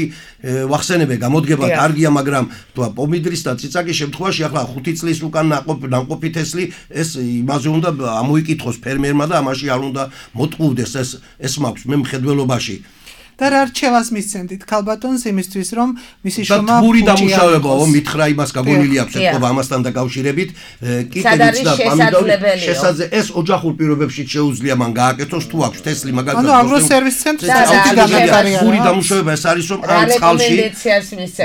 ვახსენებე, გამოდგება კარგია, მაგრამ თუ პომიდრის და ციცაკის შემთხვევაში ახლა ხუთი წლის უკან ნაყოფი თესლი ეს იმაზე უნდა ამოიკითხოს ფერმერმა და ამაში არ უნდა მოტყუდეს ეს ეს მაქვს მე მხედველობაში. და რა რჩევას მისცემთ ქალბატონს იმისთვის რომ მისი შრომა ფუჭი დამუშავებაო მითხრა იმას გაგონილი აქვს ეთქობა ამასთან დაკავშირებით კიტიც და პომიდორი შესაძე ეს ოჯახურ პირობებში შეუძლია მან გააკეთოს თუ აქვს თესლი მაგალითად ანუ აგროსერვის ცენტრი აუცილებლად ფური დამუშავება ეს არის რომ ამ წყალში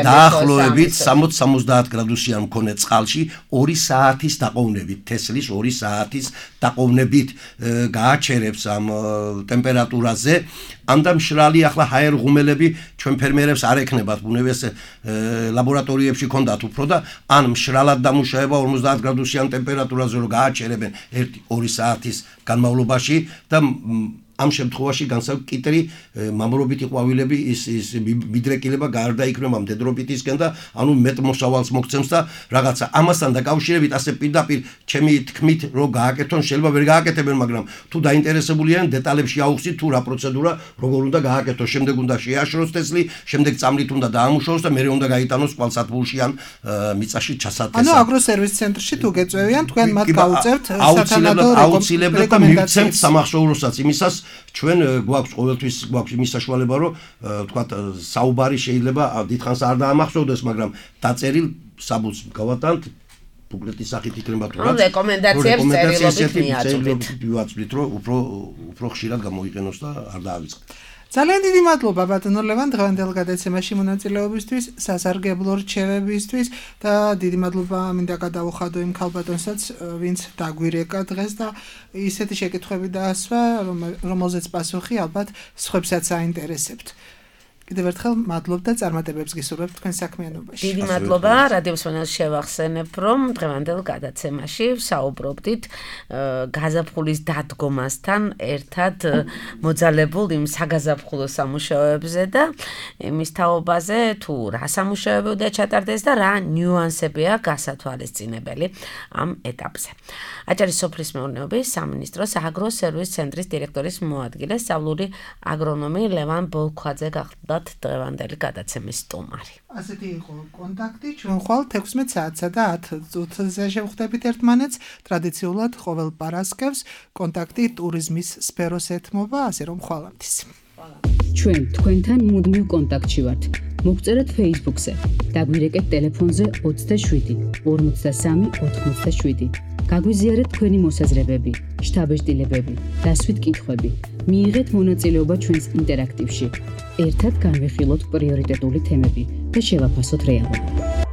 დაახლოებით სამოცი სამოცდაათ გრადუსიან მქონე წყალში ორი საათის დაყოვნებით თესლის ორი საათის დაყოვნებით გააჩერებს ამ ტემპერატურაზე ამდე მშრალი ახლა ჰაერ ღუმელები ჩვენ ფერმერებს არ ექნებათ ბუნებას ლაბორატორიებში ქონდათ უფრო და ან მშრალად დამუშავება ორმოცდაათ გრადუსიან ტემპერატურაზე რომ გააჩერებენ ერთი ორი საათის განმავლობაში და ამ შემთხვევაში განსაკუთრებით კიტრი მამრობითი ყვავილები ის ის მიდრეკილება გარდაიქმნება მდედრობითისკენ და ანუ მეტ მოსავალს მოგცემს და რაღაცა ამასთან დაკავშირებით ასე პირდაპირ ჩემი თქმით რომ გააკეთონ შეიძლება ვერ გააკეთებენ მაგრამ თუ დაინტერესებულიან დეტალებში აუხსით თუ რა პროცედურა როგორ უნდა გააკეთოს შემდეგ უნდა შეაშროს თესლი შემდეგ წამლით უნდა დაამუშავოს და მეორე უნდა გაიტანოს წყალსათბურში ან მიწაში ჩასატესად ანუ აგროსერვის ცენტრში თუ გეწევიან თქვენ მათ გაუწევთ საათანადო აუცილებლად და მივცემთ სამახსოვროსაც იმისას ჩვენ გვაქვს ყოველთვის გვაქვს იმის საშუალება რომ ვთქვათ საუბარი შეიძლება დიდხანს არ დაამახსოვდეს მაგრამ დაწერილ საბუთს გავატანთ ბუკლეტის სახით იქნება თუ რა რეკომენდაციებს წერილობით ვიაწვდით რომ უფრო უფრო ხშირად გამოიყენოს და არ დაავიწყდეს ძალიან დიდი მადლობა ბატონო ლევან დღევანდელ გადაცემაში მონაწილეობისთვის, სასარგებლო რჩევებისთვის და დიდი მადლობა მინდა გადავუხადო იმ ქალბატონსაც, ვინც დაგვირეკა დღეს და ისეთი შეკითხვები დაასვა, რომელზეც პასუხი ალბათ სხვებსაც აინტერესებთ. კიდევ ერთხელ მადლობ და წარმატებებს გისურვებთ თქვენ საქმიანობაში. დიდი მადლობა რადიოს მონას შევახსენებ, რომ დღევანდელ გადაცემაში ვსაუბრობდით გაზაფხულის დადგომასთან ერთად მოძალებულ იმ საგაზაფხულო სამუშაოებზე და იმის თაობაზე თუ რა სამუშაოები უნდა ჩატარდეს და რა ნიუანსებია გასათვალისწინებელი ამ ეტაპზე. აჭარის სოფლის მეურნეობის სამინისტროს აგროსერვის ცენტრის დირექტორის მოადგილე სწავლული აგრონომი ლევან ბოლქვაძე გახდა დღევანდელი გადაცემის სტუმარი. ასეთი იყო კონტაქტი ჩვენ ხვალ თექვსმეტ საათსა და ათ წუთზე შევხვდებით ერთმანეთს ტრადიციულად ყოველ პარასკევს კონტაქტი ტურიზმის სფეროს ეთმობა ასე რომ ხვალამდის ჩვენ თქვენთან მუდმივ კონტაქტში ვართ მოგწერეთ Facebook-ზე, დაგვირეკეთ ტელეფონზე ოცდაშვიდი ორმოცდასამი ოთხმოცდაშვიდი. გაგვიზიარეთ თქვენი მოსაზრებები, შთაბეჭდილებები, დასვით კითხვები. მიიღეთ მონაწილეობა ჩვენს ინტერაქტივში. ერთად განვიხილოთ პრიორიტეტული თემები და შევაფასოთ რეალობა.